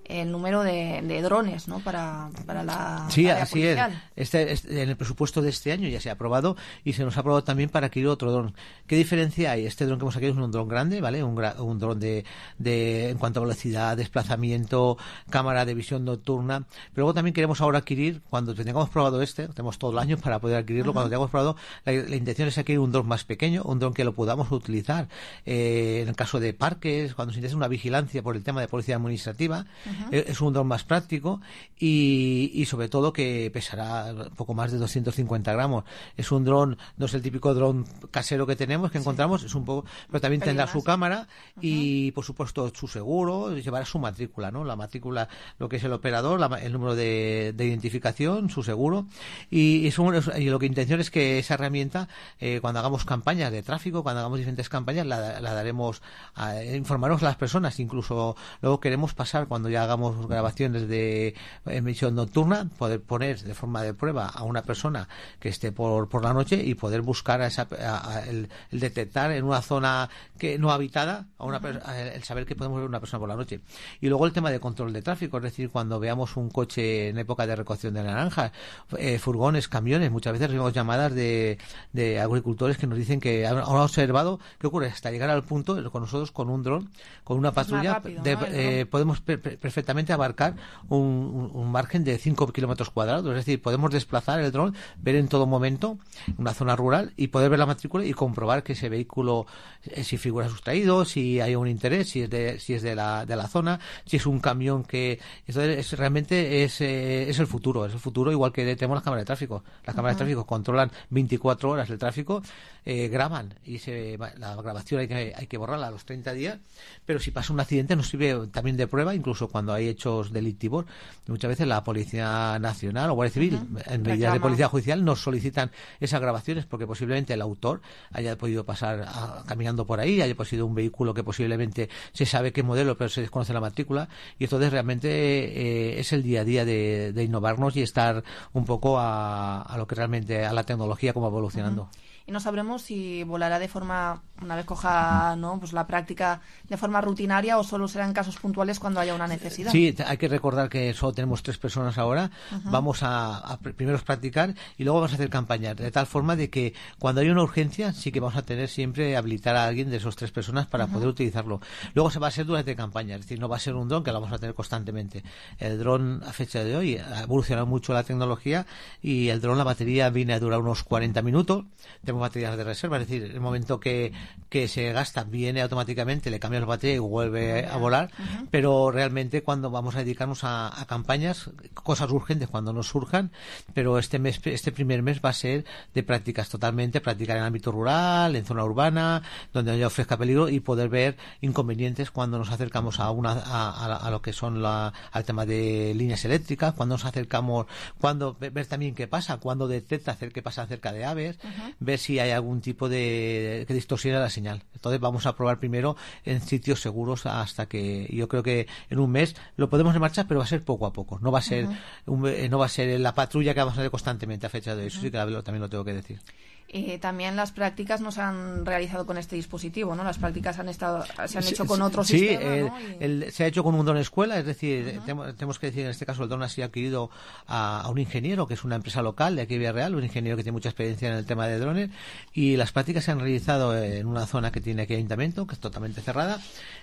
el número de, de drones, ¿no? Para, para la sí, área así policial. es. Este, este, en el presupuesto de este año ya se ha aprobado, y se nos ha aprobado también para adquirir otro dron. ¿Qué diferencia hay? Este dron que hemos adquirido es un dron grande, ¿vale? Un, gra, un dron de, de, en cuanto a velocidad, desplazamiento, cámara de visión nocturna. Pero luego también queremos ahora adquirir, cuando tengamos probado este, tenemos todo el año para poder adquirirlo, uh-huh. cuando tengamos probado, la, la intención es adquirir un dron más pequeño, un dron que lo podamos utilizar eh, en el caso de parques, cuando se interesa una vigilancia por el tema de policía administrativa. Uh-huh. eh, es un dron más práctico y, y sobre todo que pesará poco más de doscientos cincuenta gramos. Es un dron, no es el típico dron casero que tenemos, que sí. encontramos, es un poco, pero también tendrá su cámara uh-huh. y por supuesto su seguro, llevará su matrícula, ¿no? La matrícula, lo que es el operador, la, el número de, de identificación, su seguro, y, es un, y lo que intención es que esa herramienta, eh, cuando hagamos campañas de tráfico, cuando hagamos diferentes campañas, la, la daremos a informarnos a las personas. Incluso luego queremos pasar, cuando ya hagamos grabaciones de emisión nocturna, poder poner de forma de prueba a una persona que esté por, por la noche y poder buscar a esa, a, a el, el detectar en una zona que no habitada a una uh-huh. a el saber que podemos ver una persona por la noche. Y luego el tema de control de tráfico, es decir, cuando veamos un coche en época de recolección de naranjas, eh, furgones, camiones, muchas veces recibimos llamadas de, de agricultores que nos dicen que han, han observado qué ocurre hasta llegar al punto con nosotros, con un dron, con una patrulla, rápido, de, ¿no? eh, podemos per, per, perfectamente abarcar un, un, un margen de cinco kilómetros cuadrados, es decir, podemos desplazar el dron, ver en todo momento una zona rural y poder ver la matrícula y comprobar que ese vehículo, eh, si figura sustraído, si hay un interés, si es de, si es de la, de la zona, si es un camión que... Entonces, es, realmente es, eh, es el futuro, es el futuro, igual que tenemos las cámaras de tráfico. Las cámaras uh-huh. de tráfico controlan veinticuatro horas el tráfico, eh, graban, y se, la grabación hay que, hay que borrarla a los treinta días, pero si pasa un accidente nos sirve también de prueba, incluso cuando hay hechos delictivos. Muchas veces la Policía Nacional o Guardia Civil, uh-huh. en medidas de policía judicial, nos solicitan esas grabaciones porque posiblemente el autor haya podido pasar a, caminando por ahí, haya sido un vehículo que posiblemente se sabe qué modelo, pero se desconoce la matrícula, y entonces realmente eh, es el día a día de, de innovarnos y estar un poco a, a lo que realmente, a la tecnología como evolucionando. Uh-huh. y no sabremos si volará de forma, una vez coja, ¿no?, pues la práctica de forma rutinaria, o solo será en casos puntuales cuando haya una necesidad. Sí, hay que recordar que solo tenemos tres personas ahora. Uh-huh. Vamos a, a primero practicar y luego vamos a hacer campañas, de tal forma de que cuando hay una urgencia sí que vamos a tener siempre habilitar a alguien de esos tres personas para uh-huh. poder utilizarlo. Luego se va a hacer durante campaña, es decir, no va a ser un dron que lo vamos a tener constantemente. El dron a fecha de hoy ha evolucionado mucho la tecnología y el dron, la batería viene a durar unos cuarenta minutos. Tenemos baterías de reserva, es decir, el momento que, que se gasta viene automáticamente, le cambias la batería y vuelve a volar, uh-huh. pero realmente cuando vamos a dedicarnos a, a campañas, cosas urgentes cuando nos surjan, pero este mes, este primer mes va a ser de prácticas totalmente, practicar en el ámbito rural, en zona urbana, donde no haya ofrezca peligro, y poder ver inconvenientes cuando nos acercamos a una a, a, a lo que son la, al tema de líneas eléctricas, cuando nos acercamos, cuando ver también qué pasa, cuando detecta hacer qué pasa cerca de aves, uh-huh. ver si hay algún tipo de que distorsiona la señal. Entonces vamos a probar primero en sitios seguros hasta que, yo creo que en un mes lo podemos en marcha, pero va a ser poco a poco, no va a ser uh-huh. un, no va a ser la patrulla que vamos a hacer constantemente a fecha de eso, uh-huh. sí que también lo tengo que decir. Eh, también las prácticas no se han realizado con este dispositivo, ¿no? Las prácticas han estado, se han sí, hecho con otro sí, sistema, el, ¿no? Y... el, se ha hecho con un dron escuela, es decir, uh-huh. tenemos, tenemos que decir en este caso el dron ha sido adquirido a, a un ingeniero que es una empresa local de aquí de Villarreal, un ingeniero que tiene mucha experiencia en el tema de drones, y las prácticas se han realizado en una zona que tiene aquí ayuntamiento, que es totalmente cerrada,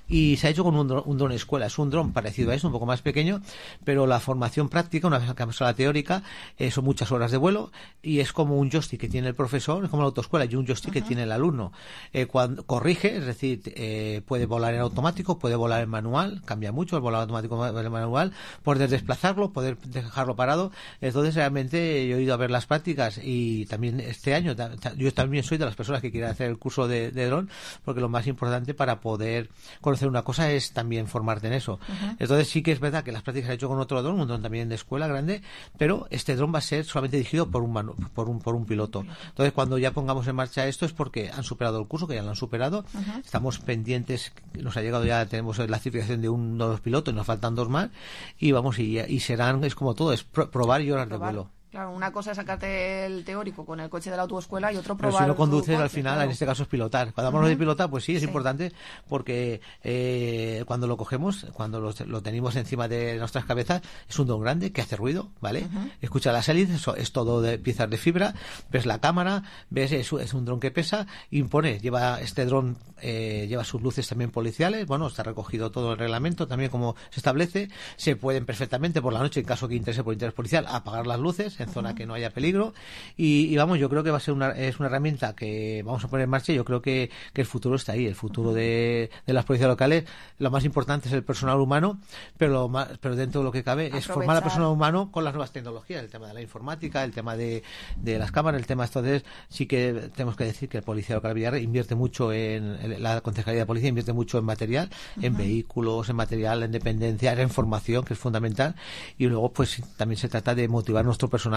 y se ha hecho con un dron, un dron escuela. Es un dron parecido a eso, un poco más pequeño, pero la formación práctica, una vez que acabamos la teórica, eh, son muchas horas de vuelo, y es como un joystick que tiene el profesor, es como la autoescuela, y un joystick uh-huh. que tiene el alumno. Eh, cuando corrige, es decir, eh, puede volar en automático, puede volar en manual, cambia mucho el volar automático en manual, poder desplazarlo, poder dejarlo parado. Entonces realmente yo he ido a ver las prácticas, y también este año yo también soy de las personas que quieren hacer el curso de, de dron, porque lo más importante para poder conocer una cosa es también formarte en eso. Uh-huh. Entonces sí que es verdad que las prácticas se han hecho con otro dron, un dron también de escuela grande, pero este dron va a ser solamente dirigido por un manu- por un por un piloto. Entonces cuando ya pongamos en marcha esto es porque han superado el curso, que ya lo han superado. Uh-huh. Estamos pendientes, nos ha llegado ya, tenemos la certificación de uno de los pilotos y nos faltan dos más, y vamos, y, y serán, es como todo, es pro- probar y horas probar. de vuelo. Claro, una cosa es sacarte el teórico con el coche de la autoescuela y otro probar. Pero si no conduces, al final, claro. en este caso es pilotar. Cuando hablamos uh-huh. de pilotar, pues sí, es sí. importante, porque eh, cuando lo cogemos, cuando lo, lo tenemos encima de nuestras cabezas, es un dron grande que hace ruido, ¿vale? Uh-huh. Escucha las hélices, eso es todo de piezas de fibra, ves la cámara, ves, es, es un dron que pesa, impone, lleva este dron, eh, lleva sus luces también policiales, bueno, está recogido todo el reglamento, también como se establece, se pueden perfectamente por la noche, en caso que interese por interés policial, apagar las luces en zona uh-huh. que no haya peligro, y, y vamos, yo creo que va a ser una, es una herramienta que vamos a poner en marcha, y yo creo que, que el futuro está ahí, el futuro uh-huh. de, de las policías locales. Lo más importante es el personal humano, pero lo más, pero dentro de lo que cabe Aprovechar. es formar al personal humano con las nuevas tecnologías, el tema de la informática, el tema de, de las cámaras, el tema, entonces sí que tenemos que decir que el policía local de Villarreal invierte mucho en, en la Concejalía de Policía, invierte mucho en material, uh-huh. en vehículos, en material, en dependencia, en formación, que es fundamental, y luego pues también se trata de motivar a nuestro personal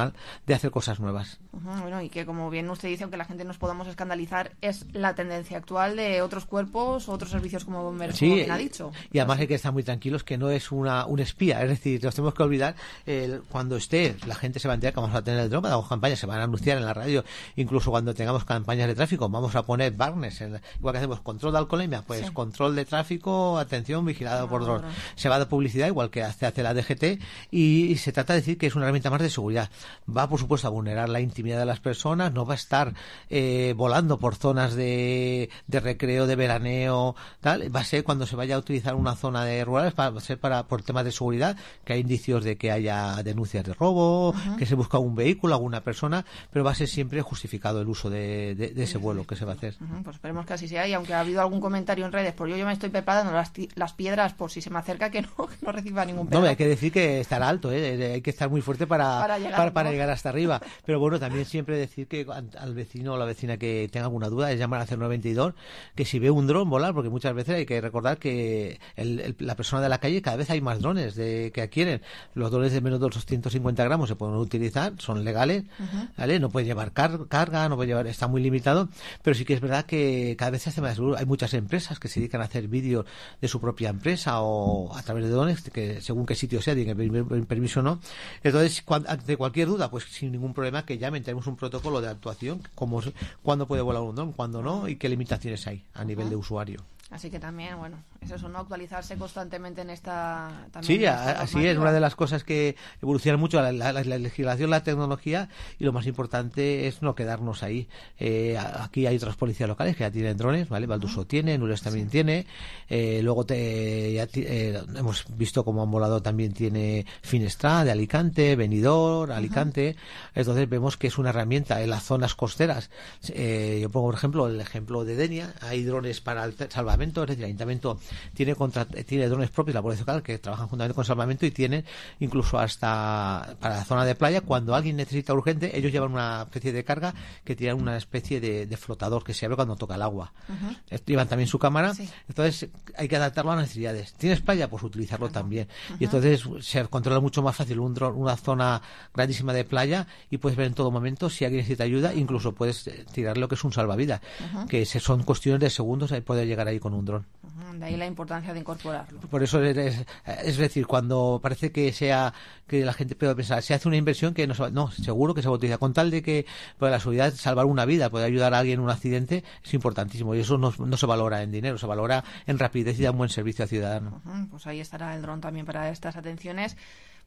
de hacer cosas nuevas. Uh-huh, bueno, y que como bien usted dice, aunque la gente nos podamos escandalizar, es la tendencia actual de otros cuerpos, otros servicios como bomberos, sí, como bien ha dicho. Y además hay que estar muy tranquilos que no es una un espía, es decir, nos tenemos que olvidar, el, cuando esté, la gente se va a enterar que vamos a tener el dron, hagamos campañas, se van a anunciar en la radio, incluso cuando tengamos campañas de tráfico, vamos a poner barnes, en, igual que hacemos control de alcoholemia, pues sí. control de tráfico, atención, vigilado no, por dron. No. Se va a dar publicidad, igual que hace, hace la D G T, y, y se trata de decir que es una herramienta más de seguridad. Va, por supuesto, a vulnerar la intimidad de las personas, no va a estar eh, volando por zonas de, de recreo, de veraneo, tal. Va a ser cuando se vaya a utilizar una zona de rurales, va a ser para por temas de seguridad, que hay indicios de que haya denuncias de robo, uh-huh. que se busca un vehículo, alguna persona, pero va a ser siempre justificado el uso de, de, de ese vuelo que se va a hacer. Uh-huh. Pues esperemos que así sea, y aunque ha habido algún comentario en redes, por yo, yo me estoy preparando las, las piedras por si se me acerca, que no, que no reciba ningún pedazo. No, hay que decir que estará alto, ¿eh? Hay que estar muy fuerte para, para, llegar, para, para llegar hasta arriba. Pero bueno, también siempre decir que al vecino o la vecina que tenga alguna duda es llamar al cero nueve veintidós, que si ve un dron volar, porque muchas veces hay que recordar que el, el, la persona de la calle, cada vez hay más drones de que adquieren. Los drones de menos de doscientos cincuenta gramos se pueden utilizar, son legales, uh-huh. ¿vale? No puede llevar car- carga, no puede llevar, está muy limitado, pero sí que es verdad que cada vez se hace más seguro. Hay muchas empresas que se dedican a hacer vídeos de su propia empresa o a través de drones, que según qué sitio sea, tienen permiso o no. Entonces, cuando, de cualquier cualquier duda, pues sin ningún problema que llamen. Tenemos un protocolo de actuación, como cuándo puede volar un dron, cuándo no y qué limitaciones hay a nivel uh-huh. de usuario. Así que también, bueno, es eso, ¿no? Actualizarse constantemente en esta... También sí, en esta así es. Una de las cosas que evoluciona mucho la, la, la legislación, la tecnología, y lo más importante es no quedarnos ahí. Eh, aquí hay otras policías locales que ya tienen drones, ¿vale? Valduso uh-huh. tiene, Nules también sí. tiene. Eh, luego te, ya t- eh, hemos visto como han volado también tiene Finestra de Alicante, Benidorm, Alicante. Uh-huh. Entonces vemos que es una herramienta en las zonas costeras. Eh, yo pongo, por ejemplo, el ejemplo de Denia. Hay drones para el salvamento. Es decir, el ayuntamiento tiene contra, tiene drones propios, la policía local, que trabajan juntamente con salvamento y tienen incluso hasta para la zona de playa, cuando alguien necesita urgente, ellos llevan una especie de carga que tienen una especie de, de flotador que se abre cuando toca el agua. Uh-huh. Llevan también su cámara, sí. entonces hay que adaptarlo a las necesidades. ¿Tienes playa? Pues utilizarlo uh-huh. también. Uh-huh. Y entonces se controla mucho más fácil un dron, una zona grandísima de playa y puedes ver en todo momento si alguien necesita ayuda, incluso puedes tirar lo que es un salvavidas, uh-huh. que son cuestiones de segundos y poder llegar ahí con un dron. De ahí la importancia de incorporarlo. Por eso es, es decir, cuando parece que sea que la gente puede pensar, se hace una inversión que no se va, no, seguro que se va a utilizar con tal de que por la seguridad salvar una vida, poder ayudar a alguien en un accidente es importantísimo y eso no, no se valora en dinero, se valora en rapidez y da un buen servicio al ciudadano. Uh-huh, pues ahí estará el dron también para estas atenciones.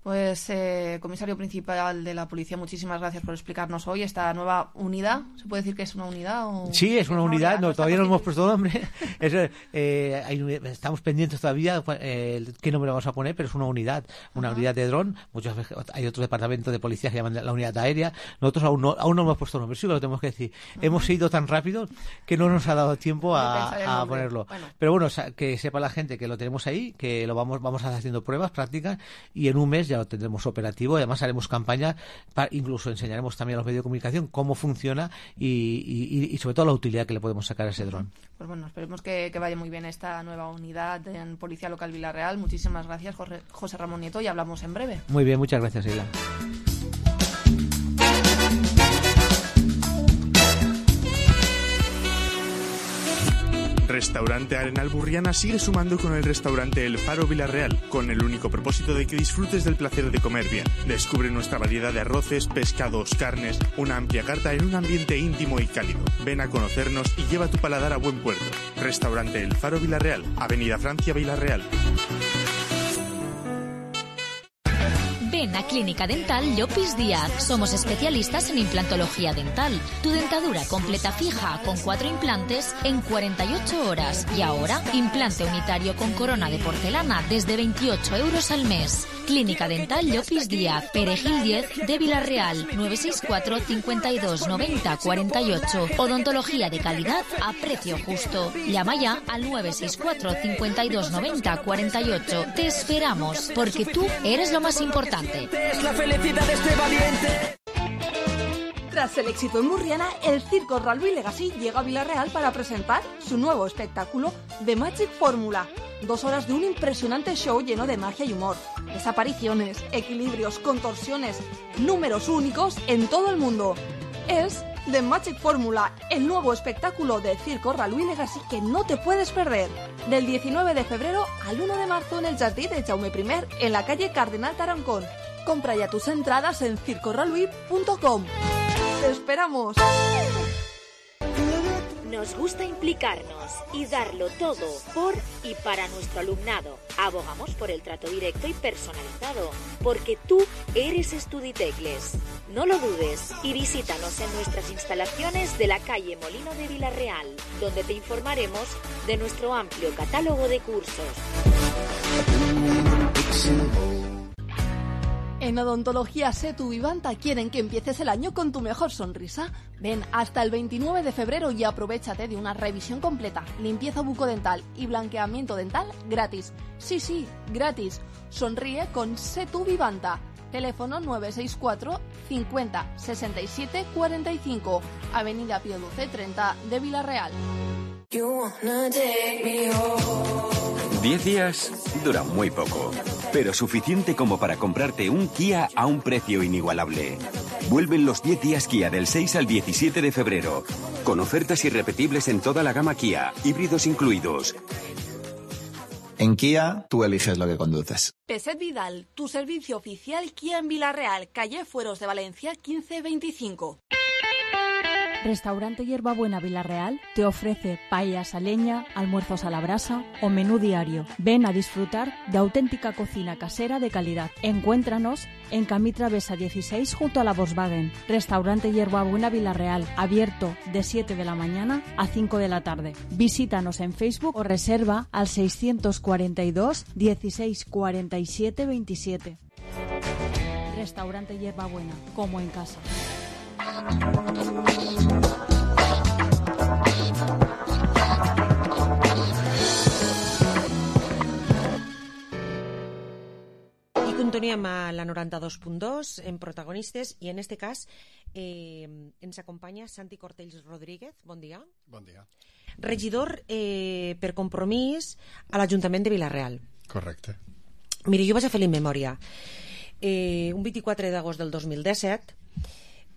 Pues, eh, comisario principal de la policía, muchísimas gracias por explicarnos hoy esta nueva unidad. ¿Se puede decir que es una unidad? O... Sí, es una unidad, no, todavía no hemos puesto nombre. es, eh, hay, estamos pendientes todavía eh, qué nombre vamos a poner, pero es una unidad, una uh-huh. unidad de dron. Muchas veces hay otro departamento de policía que llaman la unidad aérea. Nosotros aún no, aún no hemos puesto nombre, sí que lo tenemos que decir. Uh-huh. Hemos ido tan rápido que no nos ha dado tiempo a, a ponerlo. Bueno. Pero bueno, que sepa la gente que lo tenemos ahí, que lo vamos, vamos haciendo pruebas, prácticas, y en un mes ya lo tendremos operativo. Además haremos campañas, para, incluso enseñaremos también a los medios de comunicación cómo funciona y, y, y sobre todo la utilidad que le podemos sacar a ese dron. Pues bueno, esperemos que, que vaya muy bien esta nueva unidad en Policía Local Vila-real. Muchísimas gracias, Jorge, José Ramón Nieto, y hablamos en breve. Muy bien, muchas gracias, Sheila. Restaurante Arenal Burriana sigue sumando con el restaurante El Faro Vila-real, con el único propósito de que disfrutes del placer de comer bien. Descubre nuestra variedad de arroces, pescados, carnes, una amplia carta en un ambiente íntimo y cálido. Ven a conocernos y lleva tu paladar a buen puerto. Restaurante El Faro Vila-real, Avenida Francia, Vila-real. Ven a Clínica Dental Llopis Díaz. Somos especialistas en implantología dental. Tu dentadura completa fija con cuatro implantes en cuarenta y ocho horas. Y ahora, implante unitario con corona de porcelana desde veintiocho euros al mes. Clínica Dental Llopis Díaz, Perejil diez de Vila-real, nueve seis cuatro, cincuenta y dos, noventa, cuarenta y ocho. Odontología de calidad a precio justo. Llama ya al nueve seis cuatro, cincuenta y dos, noventa, cuarenta y ocho. Te esperamos, porque tú eres lo más importante. Es la felicidad de este valiente. Tras el éxito en Burriana, el Circo Ralby Legacy llega a Vila-real para presentar su nuevo espectáculo, The Magic Formula. Dos horas de un impresionante show lleno de magia y humor. Desapariciones, equilibrios, contorsiones, números únicos en todo el mundo. Es The Magic Formula, el nuevo espectáculo de Circo Ralby Legacy que no te puedes perder. Del diecinueve de febrero al uno de marzo en el Jardí de Jaume primer, en la calle Cardenal Tarancón. Compra ya tus entradas en circo ralby punto com. ¡Te esperamos! Nos gusta implicarnos y darlo todo por y para nuestro alumnado. Abogamos por el trato directo y personalizado, porque tú eres Estuditecles. No lo dudes y visítanos en nuestras instalaciones de la calle Molino de Vila-real, donde te informaremos de nuestro amplio catálogo de cursos. En Odontología Setu Vivanta quieren que empieces el año con tu mejor sonrisa. Ven hasta el veintinueve de febrero y aprovéchate de una revisión completa, limpieza bucodental y blanqueamiento dental gratis. Sí, sí, gratis. Sonríe con Setu Vivanta. Teléfono nueve seis cuatro, cincuenta, sesenta y siete, cuarenta y cinco. Avenida Pío doce treinta de Vila-real. Diez días dura muy poco, pero suficiente como para comprarte un Kia a un precio inigualable. Vuelven los diez días Kia del seis al diecisiete de febrero, con ofertas irrepetibles en toda la gama Kia, híbridos incluidos. En Kia, tú eliges lo que conduces. Peset Vidal, tu servicio oficial Kia en Villarreal, calle Fueros de Valencia quince veinticinco. Restaurante Hierbabuena Villarreal te ofrece paellas a leña, almuerzos a la brasa o menú diario. Ven a disfrutar de auténtica cocina casera de calidad. Encuéntranos en Camí Travesa dieciséis junto a la Volkswagen. Restaurante Hierbabuena Villarreal, abierto de siete de la mañana a cinco de la tarde. Visítanos en Facebook o reserva al seiscientos cuarenta y dos dieciséis cuarenta y siete veintisiete. Restaurante Hierbabuena, como en casa. I continuem a la noranta-dos punt dos en protagonistes i en este cas eh, ens acompanya Santi Cortells Rodríguez. Bon dia. Bon dia. Regidor eh, per compromís a l'Ajuntament de Vila-real. Correcte. Mira, jo vaig a fer la memòria. Eh, un vint-i-quatre d'agost del dos mil disset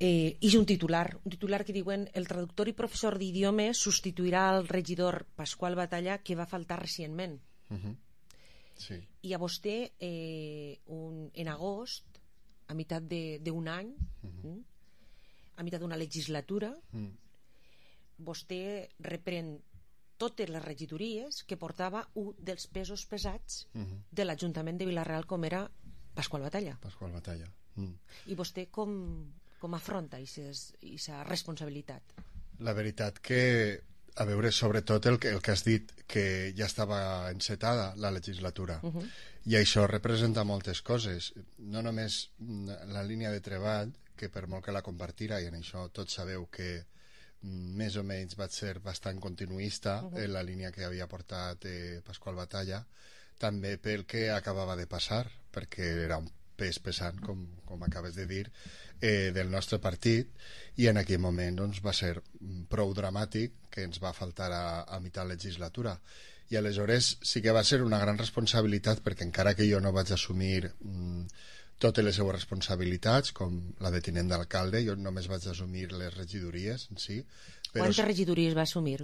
eh, hi ha un titular, un titular que diuen el traductor i professor d'idiomes substituirà el regidor Pasqual Batalla que va faltar recentment. Uh-huh. Sí. I a vostè eh, un, en agost, a meitat d'un any, uh-huh. a meitat d'una legislatura, uh-huh. vostè reprèn totes les regidories que portava un dels pesos pesats uh-huh. de l'Ajuntament de Vila-real, com era Pasqual Batalla. Pasqual Batalla. Mm. I vostè com, com afronta aquesta responsabilitat? La veritat que, a veure, sobretot el que, el que has dit, que ja estava encetada la legislatura, uh-huh. i això representa moltes coses, no només la línia de treball, que per molt que la compartira, i en això tots sabeu que més o menys vaig ser bastant continuista uh-huh. en la línia que havia portat eh, Pasqual Batalla, també pel que acabava de passar, perquè era un pes pesant, com, com acabes de dir, eh, del nostre partit, i en aquell moment doncs, va ser prou dramàtic que ens va faltar a, a mitjà legislatura. I aleshores sí que va ser una gran responsabilitat, perquè encara que jo no vaig assumir mm, totes les seues responsabilitats, com la de tinent d'alcalde, jo només vaig assumir les regidories en si. Però quantes regidories va assumir?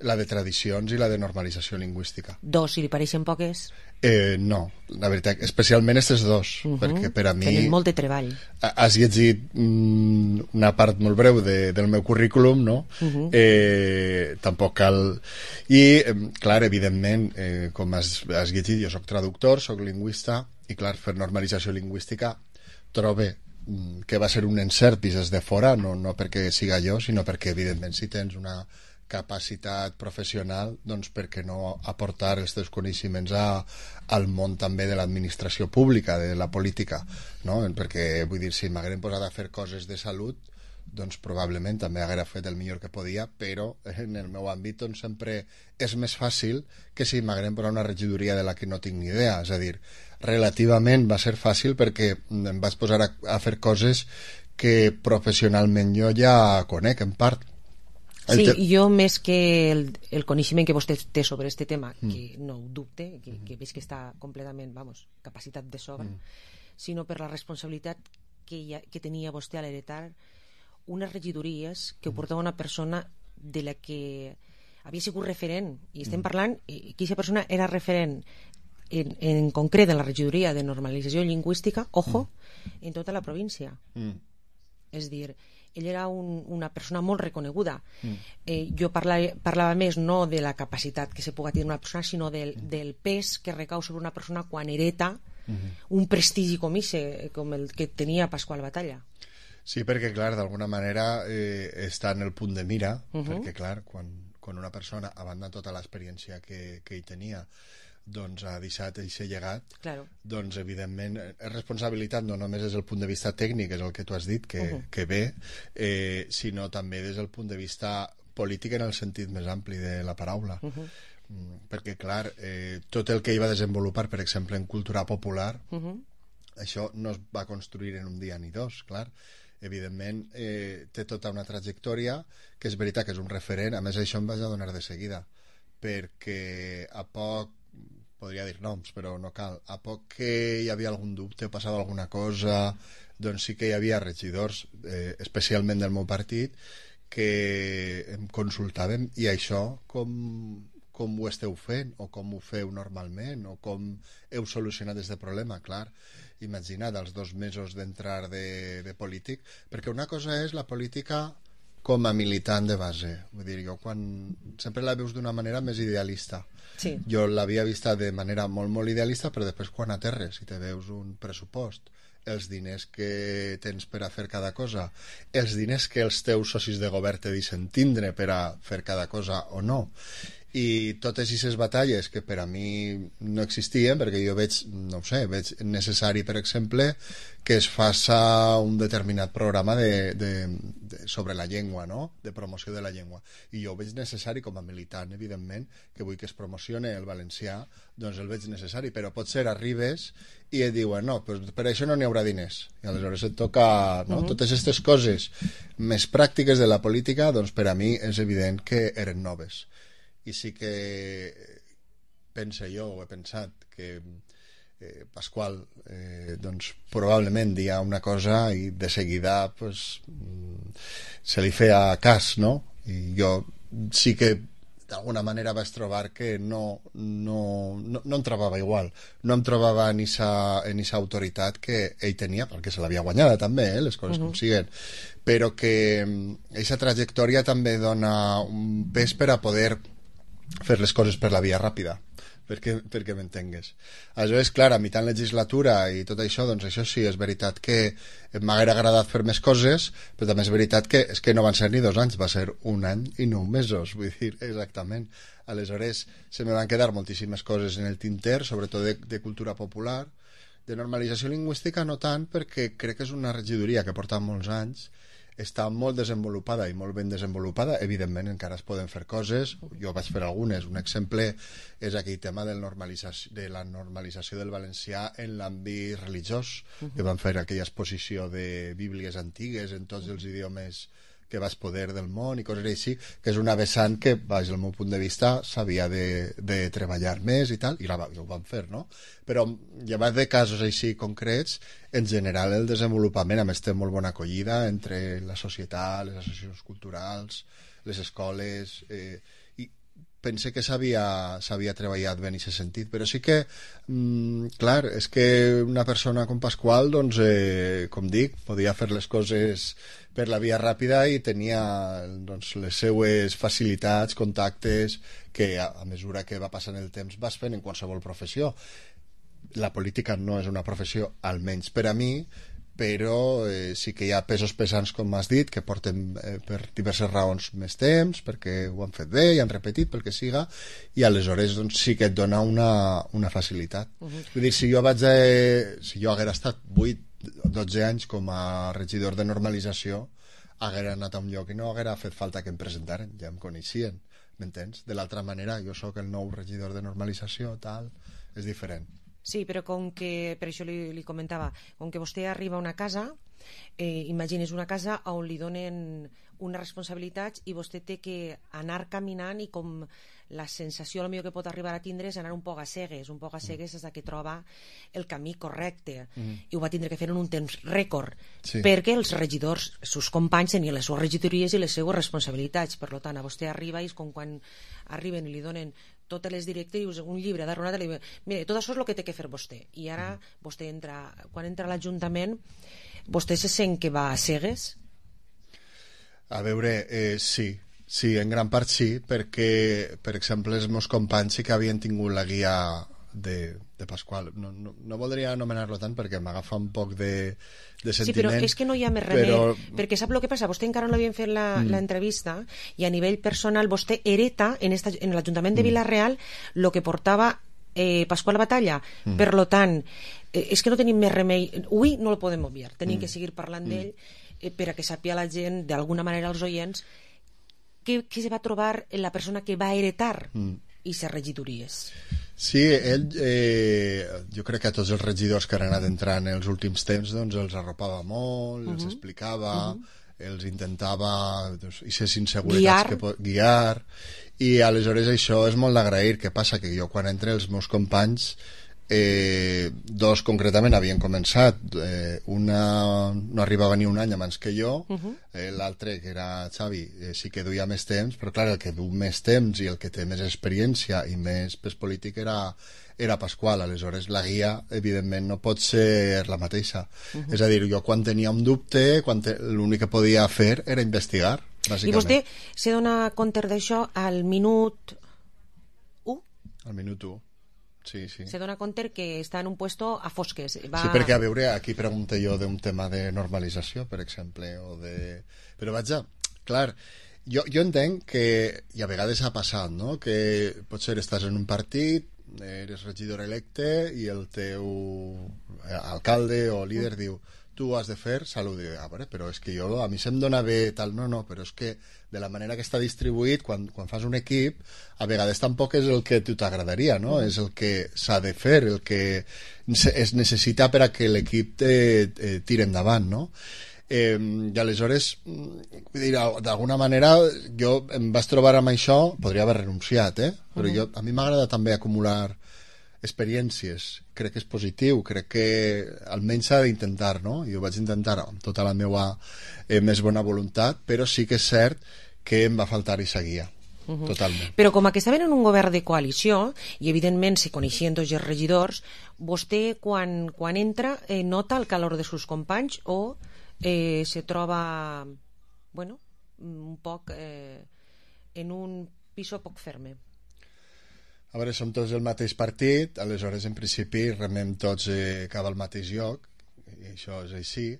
La de tradicions i la de normalització lingüística. Dos, si li pareixen poques? Eh, no, la veritat, especialment aquestes dos, uh-huh. perquè per a mi... Tenen molt de treball. Has llegit mm, una part molt breu de, del meu currículum, no? Uh-huh. Eh, tampoc cal... I, eh, clar, evidentment, eh, com has, has llegit, jo soc traductor, soc lingüista, i clar, fer normalització lingüística trobo que va ser un encert vist de fora, no, no perquè siga jo, sinó perquè, evidentment, si tens una capacitat professional, doncs per què no aportar els teus coneixements a, al món també de l'administració pública, de la política, no? Perquè, vull dir, si m'hagueren posat a fer coses de salut, doncs probablement també haguera fet el millor que podia, però en el meu àmbit doncs, sempre és més fàcil que si m'hagueren posat una regidoria de la que no tinc ni idea, és a dir, relativament va ser fàcil perquè em vaig posar a, a fer coses que professionalment jo ja conec en part. Sí, te... jo més que el, el coneixement que vostè té sobre este tema, mm. que no ho dubte, que, que veig que està completament, vamos, capacitat de sobra, mm. sinó per la responsabilitat que, ha, que tenia vostè a l'heretar unes regidories que ho portava una persona de la que havia sigut referent, i estem mm. parlant que aquesta persona era referent en, en concret en la regidoria de normalització lingüística, ojo, mm. en tota la província. Mm. És dir, ell era un, una persona molt reconeguda. Mm. Eh, jo parlava, parlava més no de la capacitat que se pugui tenir una persona, sinó del, mm. del pes que recau sobre una persona quan hereta mm-hmm. un prestigi com ese, com el que tenia Pasqual Batalla. Sí, perquè, clar, d'alguna manera eh, està en el punt de mira, uh-huh. perquè, clar, quan, quan una persona, a banda de tota l'experiència que, que ell tenia, doncs ha deixat aquest llegat, claro. doncs evidentment és responsabilitat no només des del punt de vista tècnic, és el que tu has dit, que, uh-huh. que bé, eh, sinó també des del punt de vista polític en el sentit més ampli de la paraula. Uh-huh. Mm, perquè, clar, eh, tot el que ell va desenvolupar, per exemple, en cultura popular, uh-huh. això no es va construir en un dia ni dos, clar. Evidentment, eh, té tota una trajectòria que és veritat que és un referent. A més, això em vaig adonar de seguida, perquè a poc, podria dir noms, però no cal, a poc que hi havia algun dubte o passava alguna cosa, doncs sí que hi havia regidors, eh, especialment del meu partit, que em consultàvem, i això com, com ho esteu fent, o com ho feu normalment, o com heu solucionat aquest problema, clar. Imagina't els dos mesos d'entrar de, de polític, perquè una cosa és la política com a militant de base. Vull dir, jo quan... sempre la veus d'una manera més idealista. Sí. Jo l'havia vista de manera molt, molt idealista, però després quan aterres i te veus un pressupost, els diners que tens per a fer cada cosa, els diners que els teus socis de govern te deixen tindre per a fer cada cosa o no, i totes aquestes batalles que per a mi no existien, perquè jo veig, no ho sé, veig necessari, per exemple, que es faça un determinat programa de, de, de, sobre la llengua, no? De promoció de la llengua. I jo ho veig necessari com a militant, evidentment, que vull que es promocione el valencià, doncs el veig necessari, però potser arribes i et diuen, no, doncs per això no n'hi haurà diners. I aleshores et toca, no? Uh-huh. Totes aquestes coses més pràctiques de la política, doncs per a mi és evident que eren noves. I sí que pense jo, o he pensat, que eh, Pasqual eh, doncs probablement dia una cosa i de seguida pues, se li feia cas, no? I jo sí que d'alguna manera vaig trobar que no, no, no, no em trobava igual, no em trobava en aquesta autoritat que ell tenia, perquè se l'havia guanyada també, eh, les coses uh-huh. com siguen, però que aquesta trajectòria també dona un pes per a poder fer les coses per la via ràpida, perquè, perquè m'entengues. Aleshores, clar, a mitjà legislatura i tot això, doncs això sí, és veritat que m'haguera agradat fer més coses, però també és veritat que és que no van ser ni dos anys, va ser un any i nou mesos, vull dir, exactament. Aleshores, se me van quedar moltíssimes coses en el tinter, sobretot de, de cultura popular, de normalització lingüística no tant, perquè crec que és una regidoria que porta molts anys, està molt desenvolupada i molt ben desenvolupada, evidentment encara es poden fer coses, jo vaig fer algunes, un exemple és aquell tema del normalització, de la normalització del valencià en l'àmbit religiós, uh-huh. que van fer aquella exposició de bíblies antigues en tots els idiomes que vas poder del món i coses així, que és una vessant que, des del meu punt de vista, s'havia de, de treballar més i tal, i la, ho van fer, no? Però, llevat de casos així concrets, en general el desenvolupament, a més té molt bona acollida entre la societat, les associacions culturals, les escoles, eh, i pense que s'havia s'havia treballat ben en aquest sentit, però sí que, mm, clar, és que una persona com Pasqual, doncs, eh, com dic, podia fer les coses per la via ràpida i tenia doncs, les seues facilitats, contactes, que a, a mesura que va passant el temps vas fent en qualsevol professió. La política no és una professió, almenys per a mi, però eh, sí que hi ha pesos pesants, com has dit, que porten eh, per diverses raons més temps, perquè ho han fet bé i han repetit, pel que siga, i aleshores doncs, sí que et dona una, una facilitat. Uh-huh. Vull dir, si jo vaig a, si jo haguera estat vuit dotze anys com a regidor de normalització, haguera anat a un lloc i no haguera fet falta que em presentaren, ja em coneixien, m'entens? De l'altra manera, jo sóc el nou regidor de normalització, tal, és diferent. Sí, però com que, per això li, li comentava, com que vostè arriba a una casa, eh, imagines una casa on li donen unes responsabilitats i vostè té que anar caminant i com la sensació millor que pot arribar a tindre és anar un poc a cegues, un poc a cegues és que troba el camí correcte mm. i ho va tindre que fer en un temps rècord sí. perquè els regidors, els seus companys tenien les seves regidories i les seves responsabilitats, per tant a vostè arriba i és com quan arriben i li donen totes les directrius, un llibre de Ronat, mira, tot això és el que té que fer vostè i ara mm. vostè entra, quan entra a l'Ajuntament vostè se sent que va a cegues? A veure, eh, sí sí, en gran part sí, perquè per exemple els meus companys sí que havien tingut la guia de, de Pasqual, no, no, no voldria anomenar-lo tant perquè m'agafa un poc de, de sentiment. Sí, però és que no hi ha més remei, però... perquè sap el que passa, vostè encara no l'havien fet la, mm. l'entrevista i a nivell personal vostè hereta en, esta, en l'Ajuntament de Vila-real el que portava eh, Pasqual Batalla, mm. per lo tant eh, és que no tenim més remei, avui no el podem obviar, tenim mm. que seguir parlant mm. d'ell eh, per a que sàpia la gent, d'alguna manera els oients què se va trobar en la persona que va heretar mm. i ser regidories. Sí, ell eh, jo crec que a tots els regidors que han anat entrant en els últims temps doncs els arropava molt, uh-huh. els explicava uh-huh. els intentava doncs, i ser inseguretats guiar. Que pot, guiar i aleshores això és molt d'agrair. Què passa? Que jo quan entre els meus companys eh, dos concretament havien començat, eh, una no arribava ni un any abans que jo, uh-huh. eh, l'altre, que era Xavi, eh, sí que duia més temps, però clar, el que du més temps i el que té més experiència i més pes polític era, era Pasqual. Aleshores la guia evidentment no pot ser la mateixa. Uh-huh. És a dir, jo quan tenia un dubte, quan te... l'únic que podia fer era investigar, bàsicament. I vostè se dona compte d'això al minut u? Al minut u. Sí, sí. Se dona compte que està en un puesto a fosques. Va... Sí, perquè a veure, aquí pregunto jo d'un tema de normalització, per exemple, o de... Però vaja, clar, jo, jo entenc que, i a vegades ha passat, no?, que potser estàs en un partit, eres regidor electe i el teu alcalde o líder mm. diu tu has de fer salut. I, ah, veure, però és que jo, a mi se'm dona bé tal, no, no, però és que de la manera que està distribuït, quan, quan fas un equip, a vegades tampoc és el que a tu t'agradaria, no? Mm. És el que s'ha de fer, el que es necessita per a que l'equip te, te tire endavant, no? Eh, i aleshores, vull dir, d'alguna manera jo em vaig trobar amb això, podria haver renunciat, eh? Però mm. jo, a mi m'agrada també acumular experiències, crec que és positiu, crec que almenys s'ha d'intentar, no? Jo vaig intentar amb tota la meva eh, més bona voluntat, però sí que és cert que em va faltar i seguia. Uh-huh. Totalment. Però com que estaven en un govern de coalició i evidentment se coneixien tots els regidors, vostè quan, quan entra eh, nota el calor de seus companys o eh, se troba bueno, un poc eh, en un piso poc ferme? A veure, som tots el mateix partit, aleshores en principi remem tots eh, cap al mateix lloc, i això és així.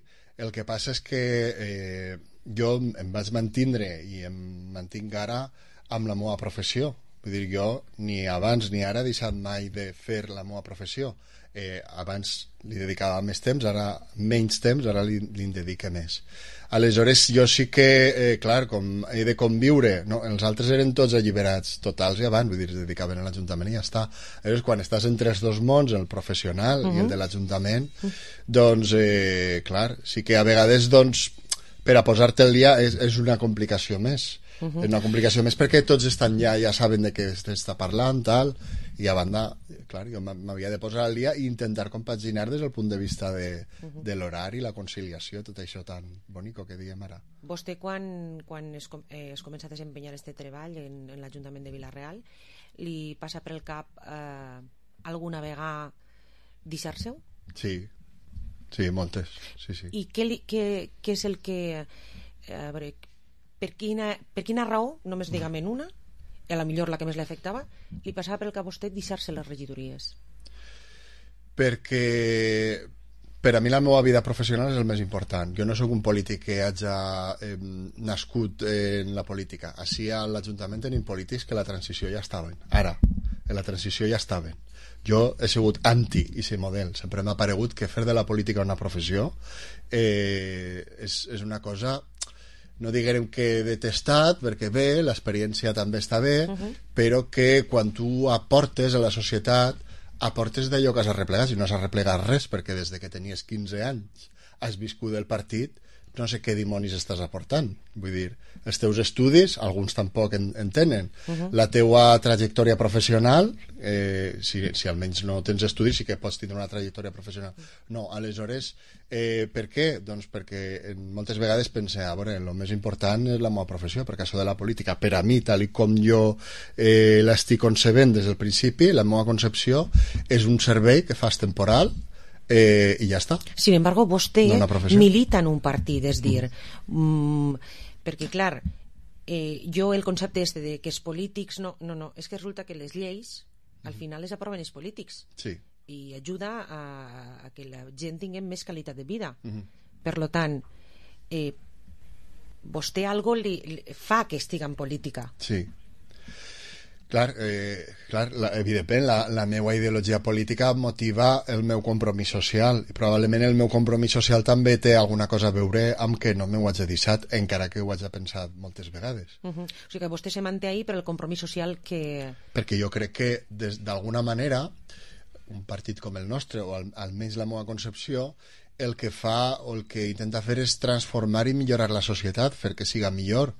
El que passa és que eh, jo em vaig mantindre i em mantinc ara amb la meva professió. Vull dir, jo ni abans ni ara he deixat mai de fer la meva professió. Eh, abans li dedicava més temps, ara menys temps, ara li, li en dedique més. Aleshores jo sí que, eh, clar, com he de conviure, no? Els altres eren tots alliberats totals i abans, vull dir, es dedicaven a l'Ajuntament i ja està. Aleshores, quan estàs entre els dos mons, el professional uh-huh. i el de l'Ajuntament, doncs, eh, clar, sí que a vegades, doncs, per a posar-te al dia és, és una complicació més. Uh-huh. És una complicació més perquè tots estan ja, ja saben de què s'està parlant, tal, i a banda, clar, jo m'havia de posar al dia i intentar compaginar des del punt de vista de, uh-huh. de l'horari, la conciliació, tot això tan bonic que diem ara. Vostè, quan, quan es, eh, es comença a desempenyar este treball en, en l'Ajuntament de Vila-real, li passa per el cap eh, alguna vegada deixar-se-ho? Sí, sí, moltes. Sí, sí. I què, li, què, què és el que... Eh, a veure, per quina, per quina raó, només diguem una, a la millor la que més l'afectava, li passava per el cap a vostè deixar-se les regidories? Perquè per a mi la meva vida professional és el més important. Jo no sóc un polític que hagi eh, nascut en la política. Així a l'Ajuntament tenim polítics que la transició ja estaven. Ara, en la transició ja estaven. Jo he sigut anti aquest model. Sempre m'ha paregut que fer de la política una professió eh, és, és una cosa... no diguem que detestat, perquè bé, l'experiència també està bé, uh-huh. però que quan tu aportes a la societat, aportes d'allò que has arreplegat, si no has arreplegat res, perquè des de que tenies quinze anys has viscut el partit, no sé què dimonis estàs aportant. Vull dir, els teus estudis, alguns tampoc en, en tenen. Uh-huh. La teua trajectòria professional, eh, si, si almenys no tens estudis, sí que pots tindre una trajectòria professional. No, aleshores, eh, per què? Doncs perquè moltes vegades pense, a veure, el més important és la meva professió, perquè això de la política, per a mi, tal i com jo eh, l'estic concebent des del principi, la meva concepció és un servei que fas temporal, Eh, i ja està. Sin embargo, vostè no milita en un partit, és dir, mm, perquè clar, eh, jo el concepte este de que els polítics no, no, no, és que resulta que les lleis al final les aproven els polítics, sí. i ajuda a, a que la gent tingui més qualitat de vida. Uh-huh. Per lo tant, eh, vostè algo li, li fa que estiga en política. Sí. Clar, eh, clar la, evidentment la, la meva ideologia política motiva el meu compromís social i probablement el meu compromís social també té alguna cosa a veure amb que no m'ho hagi deixat, encara que ho hagi pensat moltes vegades. Uh-huh. O sigui que vostè se manté ahí per el compromís social que... Perquè jo crec que d'alguna manera un partit com el nostre, o al, almenys la meva concepció, el que fa o el que intenta fer és transformar i millorar la societat, fer que siga millor.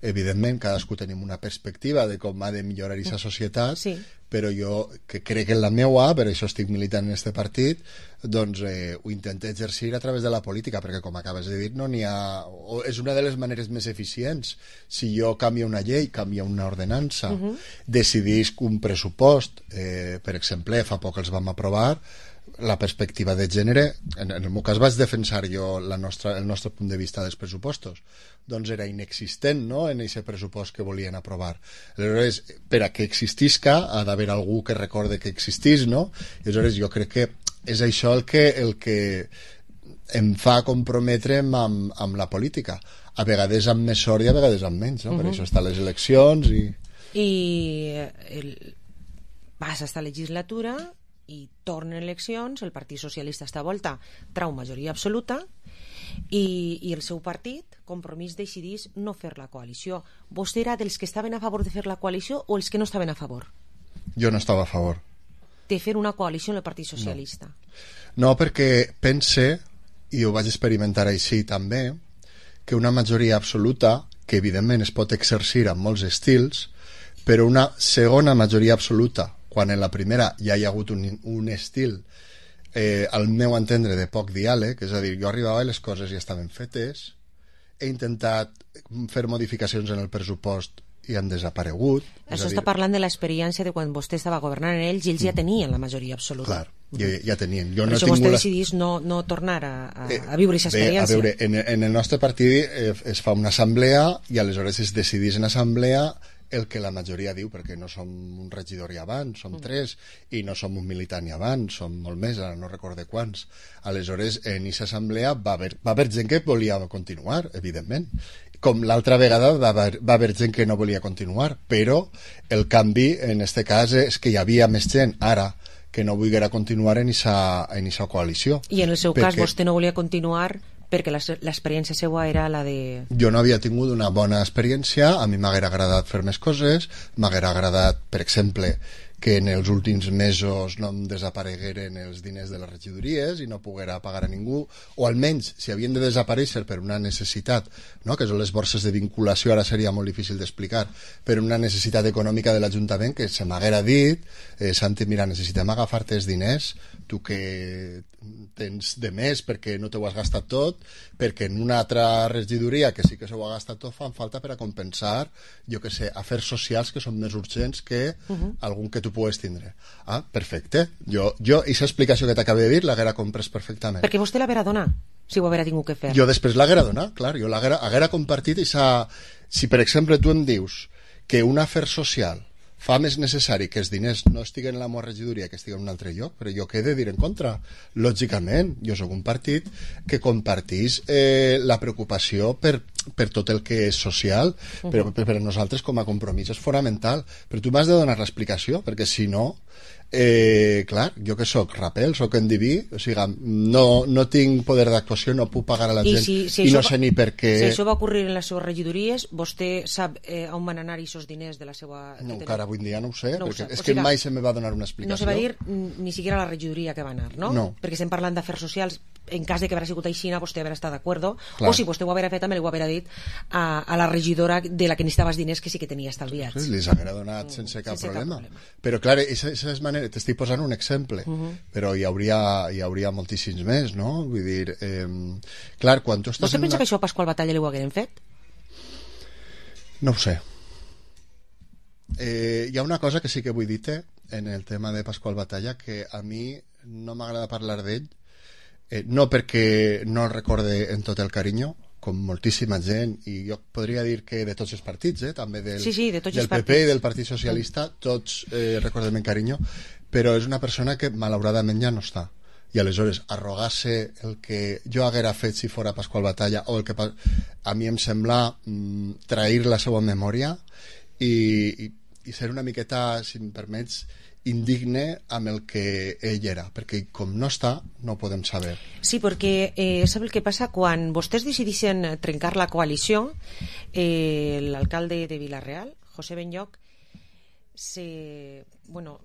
Evidentment, cadascú tenim una perspectiva de com ha de millorar aquesta societat, sí. però jo, que crec en la meua, per això estic militant en este partit, doncs eh, ho intento exercir a través de la política, perquè com acabes de dir, no n'hi ha... O és una de les maneres més eficients. Si jo canvio una llei, canvio una ordenança, uh-huh. decidisc un pressupost, eh, per exemple, fa poc els vam aprovar, la perspectiva de gènere, en, en el meu cas vaig defensar jo la nostra, el nostre punt de vista dels pressupostos, doncs era inexistent, no?, en aquest pressupost que volien aprovar. Aleshores, per a que existisca ha d'haver algú que recorde que existís, no? I aleshores jo crec que és això el que, el que em fa comprometre'm amb, amb la política, a vegades amb més sort i a vegades amb menys, no? Uh-huh. Per això estan les eleccions i... I el... vas a esta legislatura i tornen eleccions, el Partit Socialista esta volta trau majoria absoluta i, i el seu partit, Compromís, decidís no fer la coalició. Vostè era dels que estaven a favor de fer la coalició o els que no estaven a favor? Jo no estava a favor. De fer una coalició amb el Partit Socialista? No, no perquè pense, i ho vaig experimentar així també, que una majoria absoluta, que evidentment es pot exercir en molts estils, però una segona majoria absoluta, quan en la primera ja hi ha hagut un, un estil eh, al meu entendre de poc diàleg, és a dir, jo arribava i les coses ja estaven fetes, he intentat fer modificacions en el pressupost i han desaparegut. Això està dir... parlant de l'experiència de quan vostè estava governant en ells i ells ja tenien la majoria absoluta. Clar, ja, ja tenien. Jo per no això vostè la... decidís no, no tornar a, a, a viure aquesta experiència. Bé, a veure, en, en el nostre partit eh, es fa una assemblea i aleshores es decidís en assemblea el que la majoria diu, perquè no som un regidor i abans, som mm. tres, i no som un militant i abans, som molt més, ara no recorde quants. Aleshores, en aquesta assemblea va haver, va haver gent que volia continuar, evidentment, com l'altra vegada va haver, va haver gent que no volia continuar, però el canvi, en este cas, és que hi havia més gent, ara, que no volguera continuar en aquesta coalició. I en el seu perquè... cas, vostè no volia continuar perquè l'experiència seva era la de... Jo no havia tingut una bona experiència, a mi m'haguera agradat fer més coses, m'haguera agradat, per exemple, que en els últims mesos no em desaparegueren els diners de les regidories i no poguera pagar a ningú, o almenys, si havien de desaparèixer per una necessitat, no? Que són les borses de vinculació, ara seria molt difícil d'explicar, per una necessitat econòmica de l'Ajuntament, que se m'haguera dit, eh, Santi, mira, necessitem agafar-te els diners, tu que tens de més perquè no t'ho has gastat tot, perquè en una altra regidoria que sí que s'ho ha gastat tot fan falta per a compensar, jo que sé, afers socials que són més urgents que uh-huh. algun que tu pugues tindre. Ah, perfecte. Jo, jo aquesta explicació que t'acabo de dir l'haguera comprès perfectament. Perquè vostè l'haguera donat, si ho haguera tingut que fer. Jo després l'haguera donat, clar, jo l'haguera haguera compartit i si per exemple tu em dius que un afer social fa més necessari que els diners no estiguen en la meva regidoria que estiguen en un altre lloc, però jo què he de dir en contra? Lògicament, jo sóc un partit que compartís eh, la preocupació per, per tot el que és social, uh-huh. però per, per a nosaltres com a compromís és fonamental. Però tu m'has de donar l'explicació, perquè si no, eh, clar, jo que sóc rapel, sóc endiví, o sigui, no, no tinc poder d'actuació, no puc pagar a la I gent si, si i no va, sé ni per què... Si això va ocórrer en les seves regidories, vostè sap eh, on van anar aquests diners de la seva... No, encara avui en dia no ho sé, no perquè ho és o que sigui, mai se me va donar una explicació. No se va dir ni siquiera la regidoria que va anar, no? No. Perquè estem parlant d'afers socials, en cas de que haguera sigut així, vostè haguera estat d'acord, o si vostè ho haguera fet, també li ho haguera dit a, a la regidora de la que necessitava els diners que sí que tenia estalviats. Sí, li haguera donat sense cap, sense problema. cap problema. Però clar, aquesta és manera, t'estic posant un exemple, uh-huh. però hi hauria, hi hauria moltíssims més, no? Vull dir, eh, clar, quan tu estàs... Vostè pensa una... que això a Pasqual Batalla li ho hagueren fet? No ho sé. Eh, hi ha una cosa que sí que vull dir-te en el tema de Pasqual Batalla, que a mi no m'agrada parlar d'ell, eh, no perquè no el recorde en tot el carinyo, com moltíssima gent, i jo podria dir que de tots els partits, eh, també del, sí, sí, de tots del els P P partits. i del Partit Socialista, tots eh, recordem en carinyo, però és una persona que malauradament ja no està. I aleshores arrogar-se el que jo haguera fet si fora Pasqual Batalla, o el que a mi em sembla mm, trair la seva memòria i, i, i ser una miqueta, si em permets, indigne amb el que ell era, perquè com no està, no ho podem saber. Sí, perquè eh, sap el que passa? Quan vostès decidixen trencar la coalició, eh, l'alcalde de Vila-real, José Benlloch, se... bueno,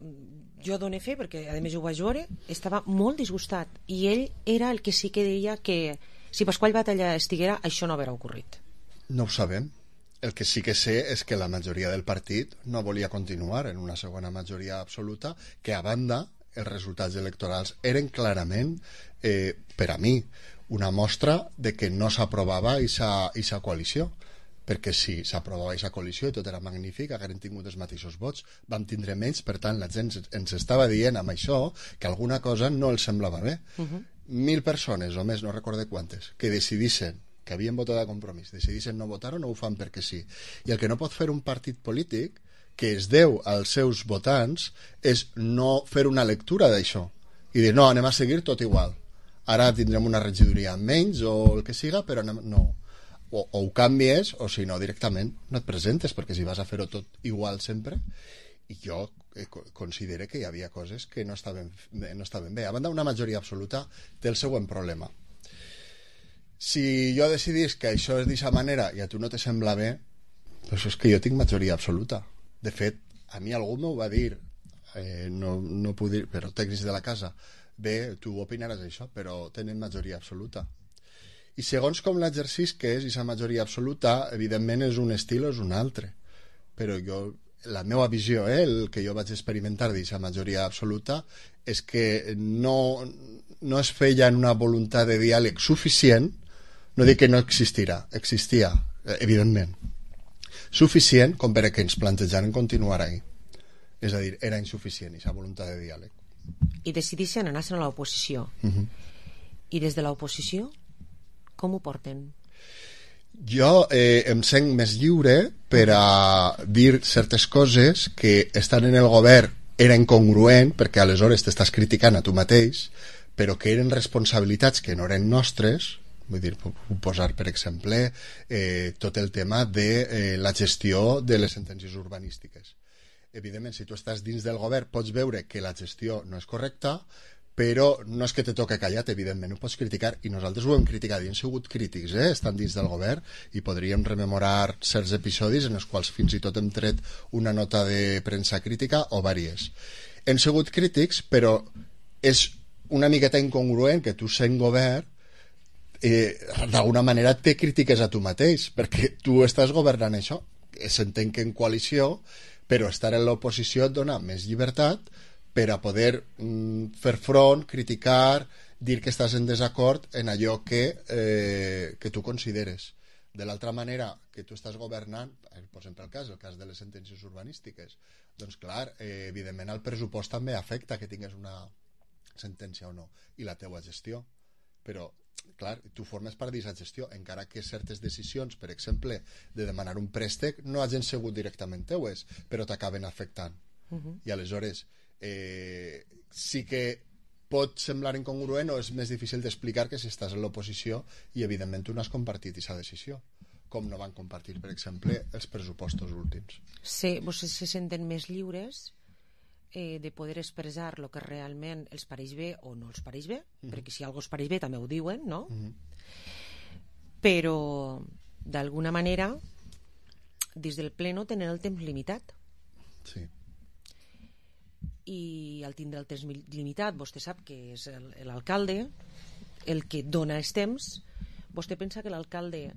jo dono fe, perquè a més ho vaig veure, estava molt disgustat, i ell era el que sí que deia que si Pasqual Batalla estiguera, això no haurà ocorrit. No ho sabem. el que sí que sé és que la majoria del partit no volia continuar en una segona majoria absoluta, que a banda els resultats electorals eren clarament, eh, per a mi, una mostra de que no s'aprovava aquesta coalició, perquè si s'aprovava aquesta coalició i tot era magnífic, hagueren tingut els mateixos vots, vam tindre menys, per tant la gent ens estava dient amb això que alguna cosa no els semblava bé. Uh-huh. Mil persones o més, no recorde quantes, que decidissin, que havien votat a Compromís, decidissin no votar o no ho fan perquè sí. I el que no pot fer un partit polític que es deu als seus votants és no fer una lectura d'això i dir, no, anem a seguir tot igual. Ara tindrem una regidoria menys o el que siga, però anem... no. O, o ho canvies, o si no, directament no et presentes, perquè si vas a fer-ho tot igual sempre... I jo eh, considero que hi havia coses que no estaven, no estaven bé. A banda, una majoria absoluta té el següent problema. Si jo decidís que això és d'aquesta manera i a tu no te sembla bé, doncs és que jo tinc majoria absoluta. De fet, a mi algú m'ho va dir, eh, no, no puc dir, però tècnics de la casa, bé, tu opinaràs això, però tenen majoria absoluta. I segons com l'exercici que és aquesta majoria absoluta, evidentment és un estil o és un altre. Però jo, la meva visió, eh, el que jo vaig experimentar d'aquesta majoria absoluta, és que no, no es feia en una voluntat de diàleg suficient. No dic que no existirà, existia, evidentment, suficient com per a que ens plantejaren continuar ahí. És a dir, era insuficient aquesta voluntat de diàleg. I decidissin anar-se'n a l'oposició. Uh-huh. I des de l'oposició, com ho porten? Jo eh, em sent més lliure per a dir certes coses que estan en el govern era incongruent, perquè aleshores t'estàs criticant a tu mateix, però que eren responsabilitats que no eren nostres. Vull dir, puc posar, per exemple, eh, tot el tema de eh, la gestió de les sentències urbanístiques. Evidentment, si tu estàs dins del govern, pots veure que la gestió no és correcta, però no és que te toque callat, evidentment, ho pots criticar, i nosaltres ho hem criticat, i hem sigut crítics, eh, estan dins del govern, i podríem rememorar certs episodis en els quals fins i tot hem tret una nota de premsa crítica o vàries. Hem sigut crítics, però és una miqueta incongruent que tu sent govern Eh, d'alguna manera te critiques a tu mateix, perquè tu estàs governant això, s'entén que en coalició, però estar en l'oposició et dona més llibertat per a poder mm, fer front, criticar, dir que estàs en desacord en allò que, eh, que tu consideres. De l'altra manera, que tu estàs governant, posem pel cas, el cas de les sentències urbanístiques, doncs clar, eh, evidentment el pressupost també afecta que tingues una sentència o no, i la teua gestió, però clar, tu formes part d'aquesta gestió, encara que certes decisions, per exemple, de demanar un préstec no hagin sigut directament teues, però t'acaben afectant. Uh-huh. I aleshores eh, sí que pot semblar incongruent o és més difícil d'explicar que si estàs en l'oposició i evidentment tu no has compartit aquesta decisió, com no van compartir, per exemple, els pressupostos últims. Sí, vostès se senten més lliures Eh, de poder expressar el que realment els pareix bé o no els pareix bé, uh-huh. perquè si algú els pareix bé també ho diuen, no? Uh-huh. Però d'alguna manera des del pleno tenen el temps limitat. Sí. I al tindre el temps limitat, vostè sap que és el, l'alcalde el que dona els temps. Vostè pensa que l'alcalde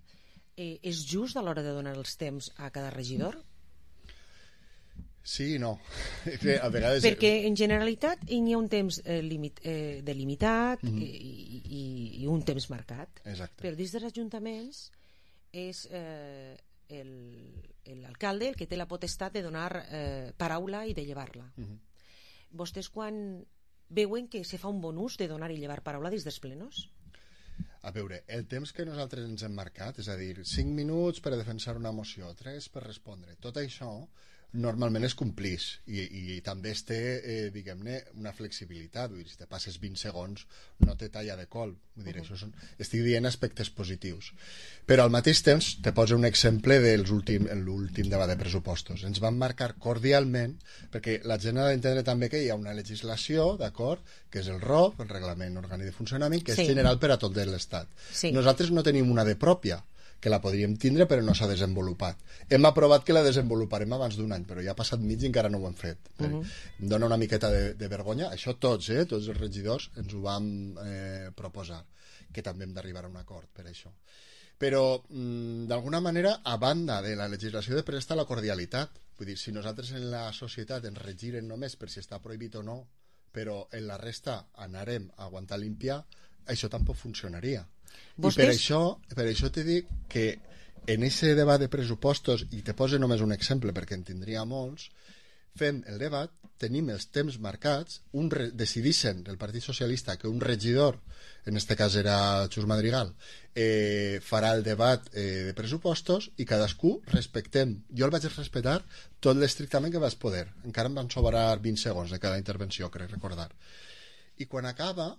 eh, és just a l'hora de donar els temps a cada regidor? Sí i no. A vegades... Perquè en generalitat hi ha un temps eh, limit, eh, delimitat mm-hmm. i, i, i un temps marcat. Exacte. Però dins dels ajuntaments és eh, el, l'alcalde el que té la potestat de donar eh, paraula i de llevar-la. Mm-hmm. Vostès quan veuen que se fa un bon ús de donar i llevar paraula dins dels plenos? A veure, el temps que nosaltres ens hem marcat, és a dir, cinc minuts per a defensar una moció, tres per respondre, tot això normalment es complís i, i també es té, eh, diguem-ne, una flexibilitat, vull dir, si te passes vint segons no te talla de col, vull dir, uh-huh. això són, estic dient aspectes positius, però al mateix temps te poso un exemple de l'últim debat de pressupostos. Ens van marcar cordialment, perquè la gent ha d'entendre també que hi ha una legislació, d'acord, que és el R O F, el Reglament Orgànic de Funcionament, que sí. és general per a tot l'Estat. Sí. Nosaltres no tenim una de pròpia, que la podríem tindre però no s'ha desenvolupat. Hem aprovat que la desenvoluparem abans d'un any, però ja ha passat mig i encara no ho hem fet. Uh-huh. Em dona una miqueta de, de vergonya. Això tots, eh, tots els regidors ens ho vam eh, proposar, que també hem d'arribar a un acord per això. Però, mm, d'alguna manera, a banda de la legislació de presta la cordialitat. Vull dir, si nosaltres en la societat ens regiren només per si està prohibit o no, però en la resta anarem a aguantar limpia, això tampoc funcionaria. Vostès... I per això, per això te dic que en aquest debat de pressupostos, i te poso només un exemple perquè en tindria molts, fem el debat, tenim els temps marcats, un re... decidixen del Partit Socialista que un regidor, en este cas era Xus Madrigal, eh, farà el debat eh, de pressupostos i cadascú respectem. Jo el vaig respectar tot l'estrictament que vaig poder. Encara em van sobrar vint segons de cada intervenció, crec recordar. I quan acaba,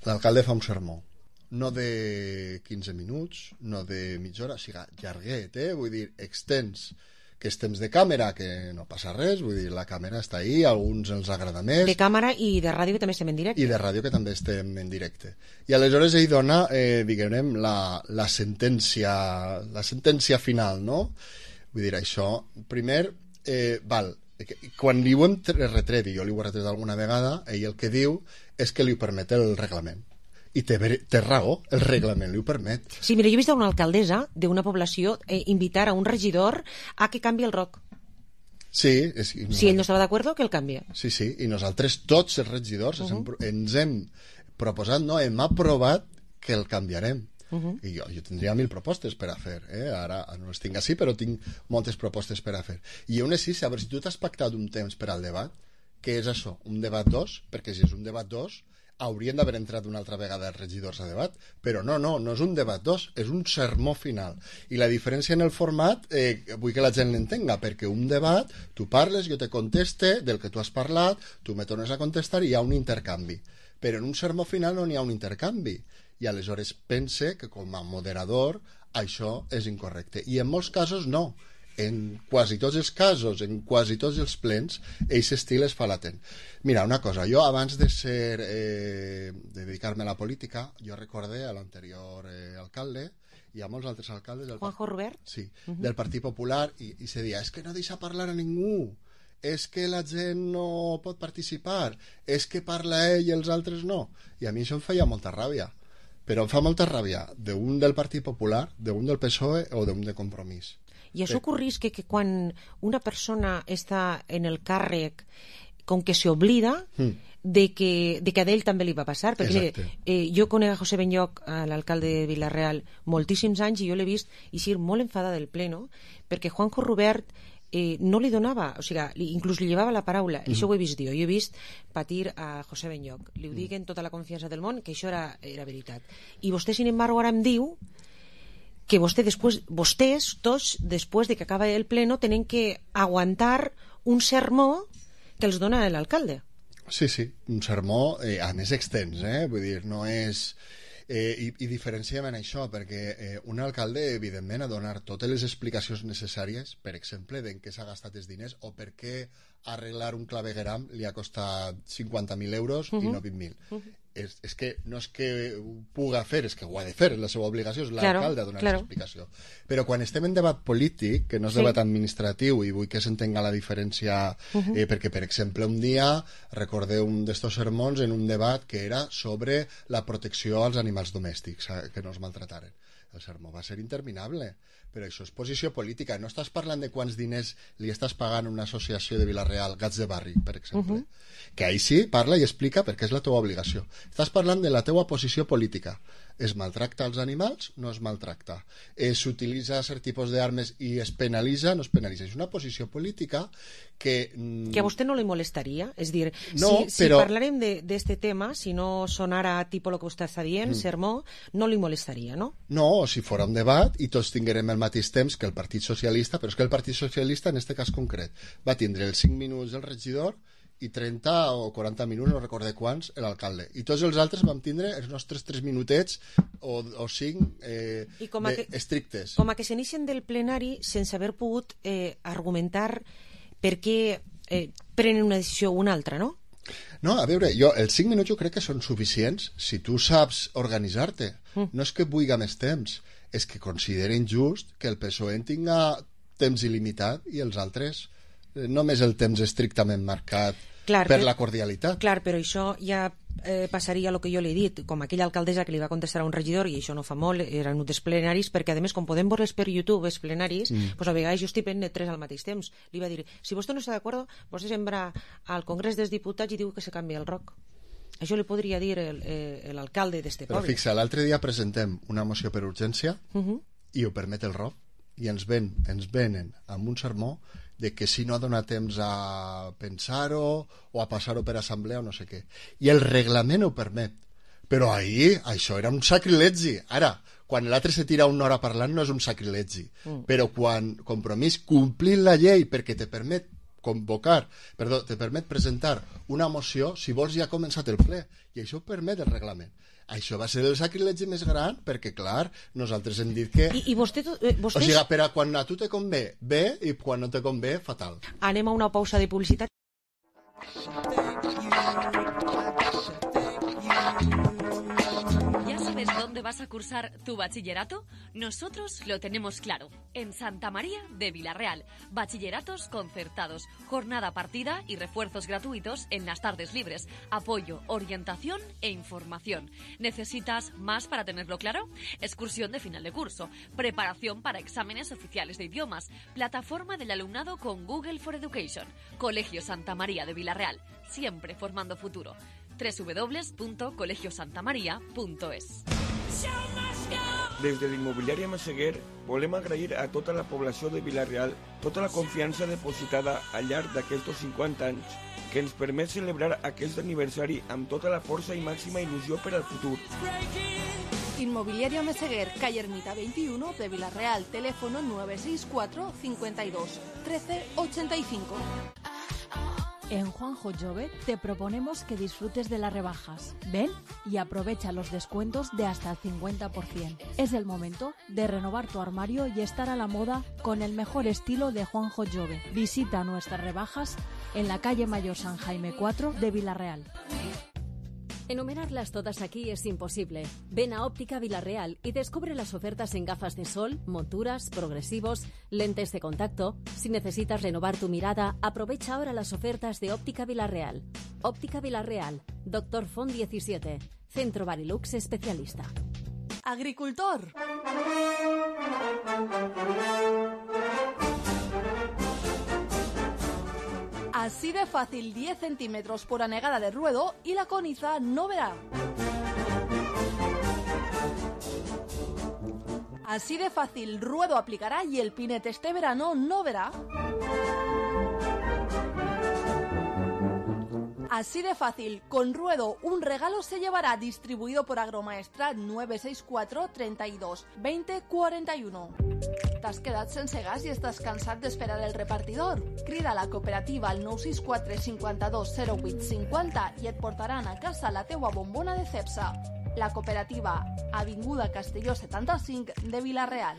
l'alcalde fa un sermó. No de quinze minuts, no de mitja hora, o sigui, llarguet, eh? Vull dir, extens, que és temps de càmera, que no passa res, vull dir, la càmera està ahí, a alguns els agrada més. De càmera i de ràdio que també estem en directe. I de ràdio que també estem en directe. I aleshores ell dona, eh, diguem, la, la sentència la sentència final, no? Vull dir, això, primer, eh, val, quan li ho hem retret, i jo li ho he retret alguna vegada, ell el que diu és que li ho permet el reglament. I té, té raó, el reglament li ho permet. Sí, mira, jo he vist una alcaldessa d'una població eh, invitar a un regidor a que canvi el roc. Sí. És, no, si ell no estava d'acord, que el canvia. Sí, sí, i nosaltres tots els regidors uh -huh. ens hem proposat, no, hem aprovat que el canviarem. Uh -huh. I jo, jo tindria mil propostes per a fer, eh? Ara no les tinc així, però tinc moltes propostes per a fer. I una sí, a veure, si tu t'has pactat un temps per al debat, què és això? Un debat dos? Perquè si és un debat dos... haurien d'haver entrat una altra vegada els regidors a debat, però no, no, no és un debat dos, és un sermó final. I la diferència en el format, eh, vull que la gent l'entenga, perquè un debat, tu parles, jo te conteste del que tu has parlat, tu me tornes a contestar i hi ha un intercanvi. Però en un sermó final no n'hi ha un intercanvi. I aleshores pense que com a moderador això és incorrecte. I en molts casos no. En quasi tots els casos, en quasi tots els plens, aquest estil es fa latent. Mira, una cosa, jo abans de ser eh, de dedicar-me a la política, jo recordé a l'anterior eh, alcalde i a molts altres alcaldes del, Juanjo Rubert? Sí, uh -huh. del Partit Popular, i, i se deia, és que no deixa parlar a ningú, és que la gent no pot participar, és que parla ell i els altres no. I a mi això em feia molta ràbia, però em fa molta ràbia d'un del Partit Popular, d'un del P S O E o d'un de Compromís. I això ocorrís que, que quan una persona està en el càrrec, com que se oblida mm. de, que, de que a ell també li va passar, perquè mire, eh, jo conec a José Benlloch, l'alcalde de Vila-real, moltíssims anys, i jo l'he vist eixir molt enfadada del pleno, perquè Juanjo Rubert eh, no li donava, o sigui, inclús li llevava la paraula, mm. això ho he vist jo, jo he vist patir a José Benlloch, li ho dic en tota la confiança del món, que això era, era veritat. I vostè, sin embargo, ara em diu que vostè després, vostès, tots, després de que acaba el pleno, tenen que aguantar un sermó que els dona l'alcalde. Sí, sí, un sermó, eh, a més extens, eh? Vull dir, no és... Eh, i, i diferenciem en això, perquè eh, un alcalde, evidentment, ha de donar totes les explicacions necessàries, per exemple, d'en què s'ha gastat els diners o per què arreglar un clavegueram li ha costat cinquanta mil euros uh -huh. i no vint mil. Uh -huh. És, és que no és que ho puga fer, és que ho ha de fer, és la seva obligació, és l'alcalde claro, a donar claro. explicació. Però quan estem en debat polític, que no és sí. debat administratiu, i vull que s'entenga la diferència, uh -huh. eh, perquè, per exemple, un dia recordeu un d'estos sermons en un debat que era sobre la protecció als animals domèstics, que no es maltrataren. El sermó va ser interminable, però això és posició política. No estàs parlant de quants diners li estàs pagant a una associació de Vila-real, Gats de Barri, per exemple, uh -huh. que ahí sí parla i explica perquè és la teva obligació. Estàs parlant de la teva posició política. Es maltracta els animals? No es maltracta. S'utilitza cert tipus d'armes i es penalitza? No es penalitza. És una posició política que... Que a vostè no li molestaria? És dir, no, si, però... si parlarem d'aquest tema, si no sonara tipus el que vostè està dient, mm. sermó, no li molestaria, no? No, si fora un debat i tots tinguérem el mateix temps que el Partit Socialista, però és que el Partit Socialista, en aquest cas concret, va tindre els cinc minuts del regidor i trenta o quaranta minuts, no recordé quants, l'alcalde. I tots els altres vam tindre els nostres tres minutets o, o cinc eh, de, que, estrictes. Com a que s'inicien del plenari sense haver pogut eh, argumentar per què eh, prenen una decisió o una altra, no? No, a veure, jo, els cinc minuts jo crec que són suficients si tu saps organitzar-te. Mm. No és que vulgui més temps, és que consideren just que el P S O E tinga temps il·limitat i els altres només el temps estrictament marcat clar, per però, la cordialitat. Clar, però això ja eh, passaria el que jo li he dit, com aquella alcaldessa que li va contestar a un regidor, i això no fa molt, eren uns plenaris, perquè a més, com podem veure per YouTube, els plenaris, mm. pues a vegades jo estic fent tres al mateix temps. Li va dir, si vostè no està d'acord, vostè sembra al Congrés dels Diputats i diu que se canvia el roc. Això li podria dir l'alcalde d'este poble. Però fixa, l'altre dia presentem una moció per urgència uh -huh. i ho permet el R O P, i ens, ven, ens venen amb un sermó de que si no ha donat temps a pensar-ho o a passar-ho per assemblea o no sé què. I el reglament ho permet. Però ahir això era un sacrilegi. Ara, quan l'altre se tira una hora parlant no és un sacrilegi. Mm. Però quan compromís complir la llei perquè te permet convocar, perdó, te permet presentar una moció, si vols ja ha començat el ple, i això ho permet el reglament. Això va ser el sacrilegi més gran, perquè, clar, nosaltres hem dit que... I, i vostè, eh, vostès... O sigui, per a quan a tu te convé, bé, i quan no te convé, fatal. Anem a una pausa de publicitat. ¿Dónde vas a cursar tu bachillerato? Nosotros lo tenemos claro. En Santa María de Vilarreal. Bachilleratos concertados, jornada partida y refuerzos gratuitos en las tardes libres. Apoyo, orientación e información. ¿Necesitas más para tenerlo claro? Excursión de final de curso. Preparación para exámenes oficiales de idiomas. Plataforma del alumnado con Google for Education. Colegio Santa María de Vilarreal. Siempre formando futuro. doble u doble u doble u punto colegio santa maria punto es. Des de l'immobiliària Massaguer volem agrair a tota la població de Vilarreal tota la confiança depositada al llarg d'aquests cinquanta anys que ens permet celebrar aquest aniversari amb tota la força i màxima il·lusió per al futur. Inmobiliaria Meseguer, calle Ermita veintiuno de Vilarreal, teléfono nueve seis cuatro cincuenta y dos trece ochenta y cinco. En Juanjo Jove te proponemos que disfrutes de las rebajas. Ven y aprovecha los descuentos de hasta el cincuenta por ciento. Es el momento de renovar tu armario y estar a la moda con el mejor estilo de Juanjo Jove. Visita nuestras rebajas en la calle Mayor San Jaime cuatro de Vilarreal. Enumerarlas todas aquí es imposible. Ven a Óptica Vilarreal y descubre las ofertas en gafas de sol, monturas, progresivos, lentes de contacto. Si necesitas renovar tu mirada, aprovecha ahora las ofertas de Óptica Vilarreal. Óptica Vilarreal, Doctor Font diecisiete, Centro Barilux especialista. Agricultor. Así de fácil, diez centímetros por anegada de ruedo y la coniza no verá. Así de fácil, ruedo aplicará y el pinete este verano no verá. Así de fácil, con ruedo un regalo se llevará, distribuido por Agromaestrat nueve seis cuatro treinta y dos veinte cuarenta y uno. T'has quedat sense gas i estàs cansat d'esperar el repartidor? Crida a la cooperativa al nou sis quatre cinquanta-dos zero vuit cinquanta i et portaran a casa la teua bombona de Cepsa. La cooperativa, Avinguda Castelló setanta-cinc de Vilarreal.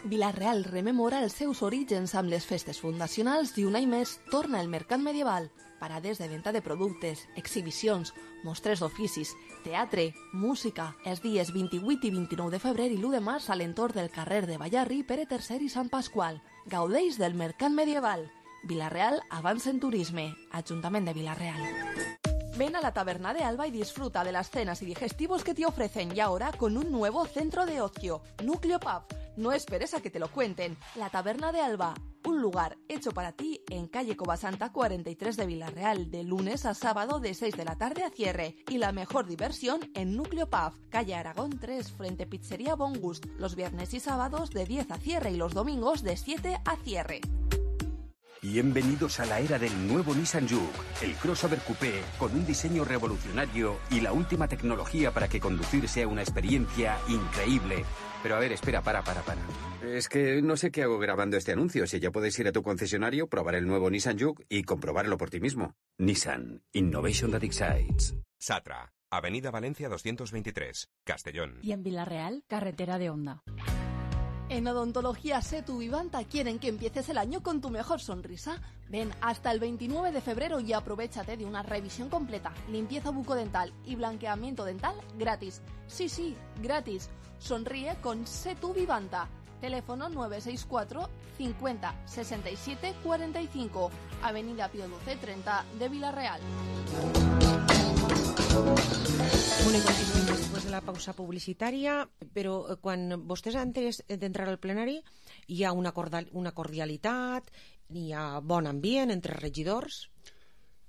Vilarreal rememora els seus orígens amb les festes fundacionals i un any més torna el mercat medieval. Parades de venda de productes, exhibicions, mostres d'oficis, teatre, música, els dies vint-i-vuit i vint-i-nou de febrer i l'u de març a l'entorn del carrer de Ballarri, Pere tercer i Sant Pasqual. Gaudeix del mercat medieval. Vilarreal avança en turisme. Ajuntament de Vilarreal. Ven a la Taberna de Alba y disfruta de las cenas y digestivos que te ofrecen y ahora con un nuevo centro de ocio, Núcleo Pub. No esperes a que te lo cuenten. La Taberna de Alba, un lugar hecho para ti en calle Covasanta cuarenta y tres de Vilarreal, de lunes a sábado de seis de la tarde a cierre. Y la mejor diversión en Núcleo Pub, calle Aragón tres, frente Pizzería Bon Gust, los viernes y sábados de diez a cierre y los domingos de siete a cierre. Bienvenidos a la era del nuevo Nissan Juke, el crossover coupé con un diseño revolucionario y la última tecnología para que conducir sea una experiencia increíble. Pero a ver, espera, para, para, para. Es que no sé qué hago grabando este anuncio. Si ya puedes ir a tu concesionario, probar el nuevo Nissan Juke y comprobarlo por ti mismo. Nissan, Innovation that excites. Satra, Avenida Valencia doscientos veintitrés, Castellón. Y en Vilarreal, carretera de Honda. En Odontología Setu Vivanta quieren que empieces el año con tu mejor sonrisa. Ven hasta el veintinueve de febrero y aprovéchate de una revisión completa, limpieza bucodental y blanqueamiento dental gratis. Sí, sí, gratis. Sonríe con Setu Vivanta. Teléfono nueve seis cuatro cincuenta sesenta y siete cuarenta y cinco, Avenida Pío doce treinta de Vila-real. Bueno, i continuem després de la pausa publicitària, però quan vostès antes d'entrar al plenari hi ha una, cordial, una cordialitat, hi ha bon ambient entre regidors?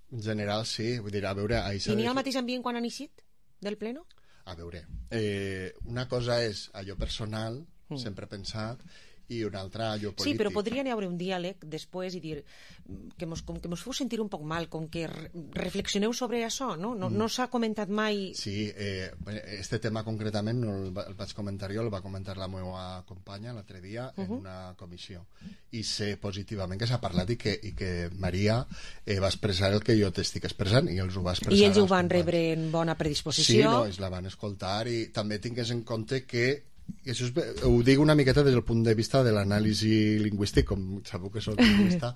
En general, sí. Vull dir, a veure... I n'hi ha el mateix ambient quan han eixit del pleno? A veure, eh, una cosa és allò personal, mm. sempre pensat, i una altra allò polític. Sí, però podria haver un diàleg després i dir que mos, com que mos feu sentir un poc mal, com que re reflexioneu sobre això, no? No, mm. no s'ha comentat mai... Sí, eh, este tema concretament no el, el vaig comentar jo, el va comentar la meva companya l'altre dia en uh -huh. una comissió. I sé positivament que s'ha parlat i que, i que Maria eh, va expressar el que jo t'estic expressant i els ho va expressar. I ells ho van companys. rebre en bona predisposició. Sí, no, ells la van escoltar i també tingues en compte que i això és, ho dic una miqueta des del punt de vista de l'anàlisi lingüístic, com sabeu que soc lingüista.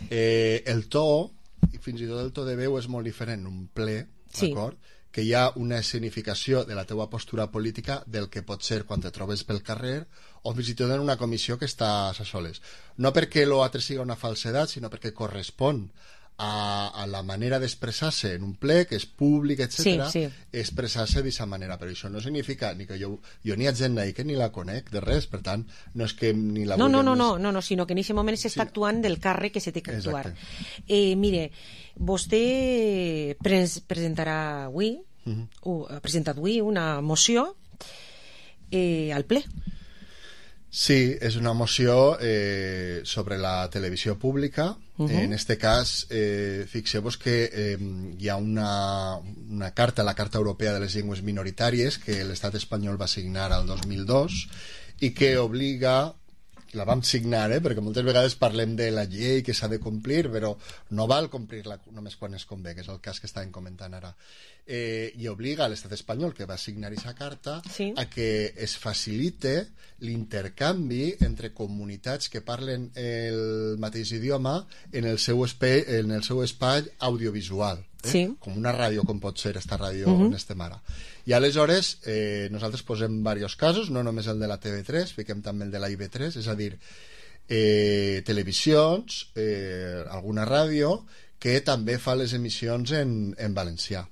Eh, el to, i fins i tot el to de veu és molt diferent en un ple, sí. d'acord? Que hi ha una escenificació de la teua postura política del que pot ser quan te trobes pel carrer o fins i tot en una comissió que estàs a soles. No perquè l'altre sigui una falsedat, sinó perquè correspon A, a la manera d'expressar-se en un ple que és públic, etcètera, sí, sí. expressar-se d'aquesta manera, però això no significa ni que jo, jo ni ha gent ahí que ni la conec de res, per tant, no és que ni la no, no, no, no, no, no, sinó que en aquest moment s'està sí. actuant del càrrec que se té que actuar. Eh, mire, vostè pres presentarà avui uh -huh. uh, ha presentat avui una moció eh, al ple. Sí, és una moció eh, sobre la televisió pública. Uh-huh. En este cas, eh, fixeu-vos que eh, hi ha una, una carta, la Carta Europea de les Llengües Minoritàries, que l'estat espanyol va signar el dos mil dos i que obliga, la vam signar, eh, perquè moltes vegades parlem de la llei que s'ha de complir, però no val complir-la només quan es convé, que és el cas que estàvem comentant ara. Eh, i obliga a l'estat espanyol, que va signar aquesta carta, sí. a que es facilite l'intercanvi entre comunitats que parlen el mateix idioma en el seu espai, en el seu espai audiovisual, eh? Sí. Com una ràdio, com pot ser esta ràdio uh-huh. on estem ara. I aleshores eh, nosaltres posem diversos casos, no només el de la T V tres, fiquem també el de la I V tres, és a dir, eh, televisions, eh, alguna ràdio que també fa les emissions en, en valencià.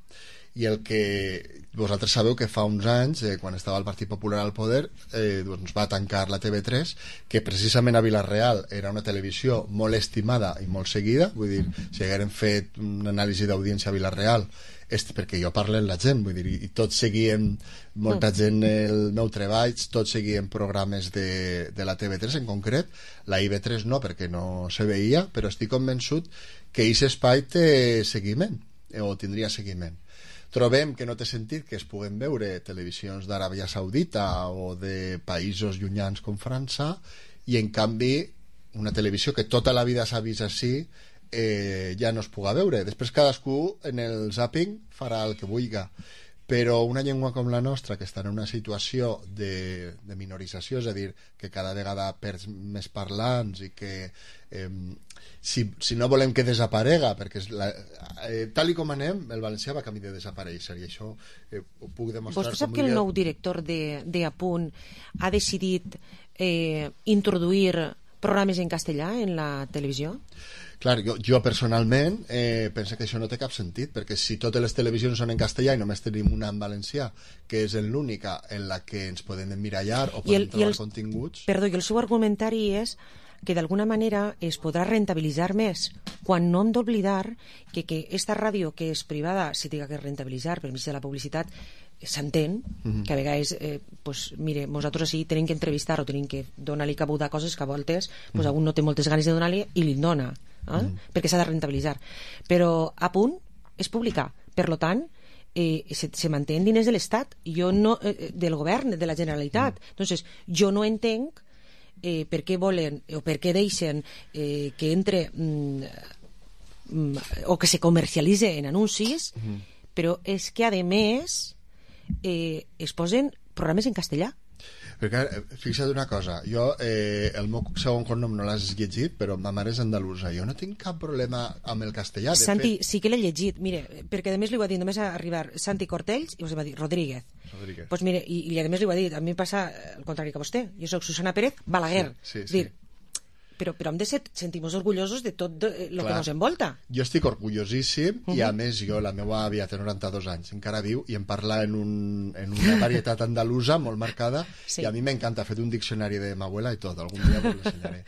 I el que vosaltres sabeu que fa uns anys, eh, quan estava el Partit Popular al poder, eh, doncs va tancar la T V tres, que precisament a Vila-real era una televisió molt estimada i molt seguida, vull dir, si hagueren fet una anàlisi d'audiència a Vila-real, és perquè jo parlo amb la gent, vull dir, i tots seguien, molta gent el meu treball, tots seguien programes de, de la T V tres en concret, la I V tres no, perquè no se veia, però estic convençut que aquest espai té seguiment, o tindria seguiment. Trobem que no té sentit que es puguen veure televisions d'Aràbia Saudita o de països llunyans com França i en canvi una televisió que tota la vida s'ha vist així eh, ja no es puga veure. Després cadascú en el zapping farà el que vulga, però una llengua com la nostra que està en una situació de, de minorització, és a dir, que cada vegada perds més parlants i que eh, si, si no volem que desaparega, perquè és la, eh, tal i com anem, el valencià va camí de desaparèixer i això eh, ho puc demostrar. Vostè sap que el nou director de, de Apunt ha decidit eh, introduir programes en castellà en la televisió? Clar, jo, jo personalment eh, penso que això no té cap sentit, perquè si totes les televisions són en castellà i només tenim una en valencià, que és l'única en la que ens podem emmirallar o podem el, trobar el, continguts... Perdó, i el seu argumentari és que d'alguna manera es podrà rentabilitzar més, quan no hem d'oblidar que, que esta ràdio que és privada se té que rentabilitzar per mig de la publicitat, s'entén, uh-huh. que a vegades eh, pues, mire, nosaltres així tenim que entrevistar o tenim que donar-li cabuda a coses que a voltes pues, uh-huh. algun no té moltes ganes de donar-li i li dona, eh? uh-huh. perquè s'ha de rentabilitzar, però a punt és publicar, per lo tant eh, se, se manté en diners de l'Estat, jo no, eh, del govern, de la Generalitat, uh-huh. entonces jo no entenc eh, per què volen o per què deixen eh, que entre mm, mm, o que se comercialitze en anuncis, uh-huh. però és que a més eh, es posen programes en castellà. Perquè, fixa't una cosa, jo, eh, el meu segon cognom no l'has llegit, però ma mare és andalusa. Jo no tinc cap problema amb el castellà. De Santi, fet... sí que l'he llegit, mire, perquè a més li va dir només a arribar Santi Cortells i us va dir Rodríguez. Rodríguez. Pues mire, i, i a més li va dir, a mi em passa el contrari que a vostè. Jo soc Susana Pérez Balaguer. Sí, sí, és dir, però, però hem de ser, sentir-nos orgullosos de tot el que ens envolta. Jo estic orgullosíssim, uh-huh. i a més jo, la meva àvia té noranta-dos anys, encara viu, i em parla en, un, en una varietat andalusa molt marcada, sí. I a mi m'encanta, he fet un diccionari de ma abuela i tot, algun dia us l'ensenyaré.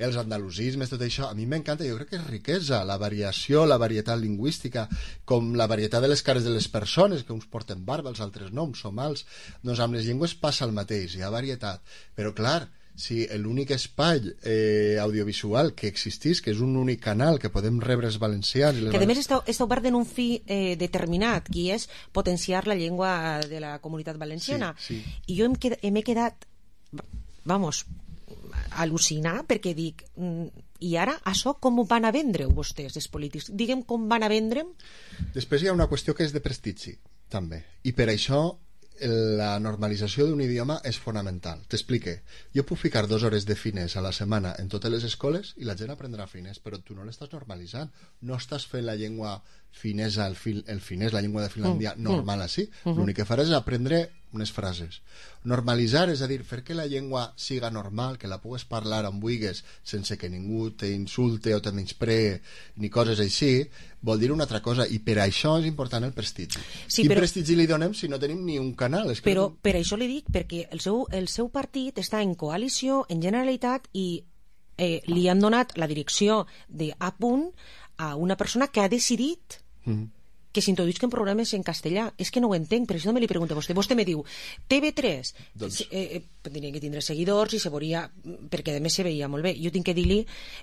Els andalusismes, tot això, a mi m'encanta, jo crec que és riquesa, la variació, la varietat lingüística, com la varietat de les cares de les persones, que uns porten barba, els altres no, uns som alts. Doncs amb les llengües passa el mateix, hi ha varietat. Però clar, si l'únic espai eh, audiovisual que existís, que és un únic canal que podem rebre els valencians... Les que a més està, està obert en un fi eh, determinat, que és potenciar la llengua de la comunitat valenciana. Sí, sí. I jo m'he quedat, vamos, al·lucinar, perquè dic, i ara això com ho van a vendre vostès, els polítics? Diguem com van a vendre'm? Després hi ha una qüestió que és de prestigi, també. I per això la normalització d'un idioma és fonamental. T'explique. Jo puc ficar dues hores de finès a la setmana en totes les escoles i la gent aprendrà finès, però tu no l'estàs normalitzant. No estàs fent la llengua finesa, el, fil, el finès, la llengua de Finlàndia, mm, normal així. Mm-hmm. L'únic que faràs és aprendre unes frases. Normalitzar, és a dir, fer que la llengua siga normal, que la pugues parlar on vulguis sense que ningú t'insulte o te menyspree ni coses així, vol dir una altra cosa, i per això és important el prestigi. Sí, Quin però... prestigi li donem si no tenim ni un canal? És que però no... per això li dic, perquè el seu, el seu partit està en coalició, en Generalitat, i eh, li han donat la direcció d'A punt a una persona que ha decidit mm-hmm. que s'introduïsquen programes en castellà. És que no ho entenc, per això no me li pregunto a vostè. Vostè me diu, T V tres, doncs... eh, eh, tenia que tindre seguidors i se veuria, perquè a més se veia molt bé. Jo tinc que dir-li,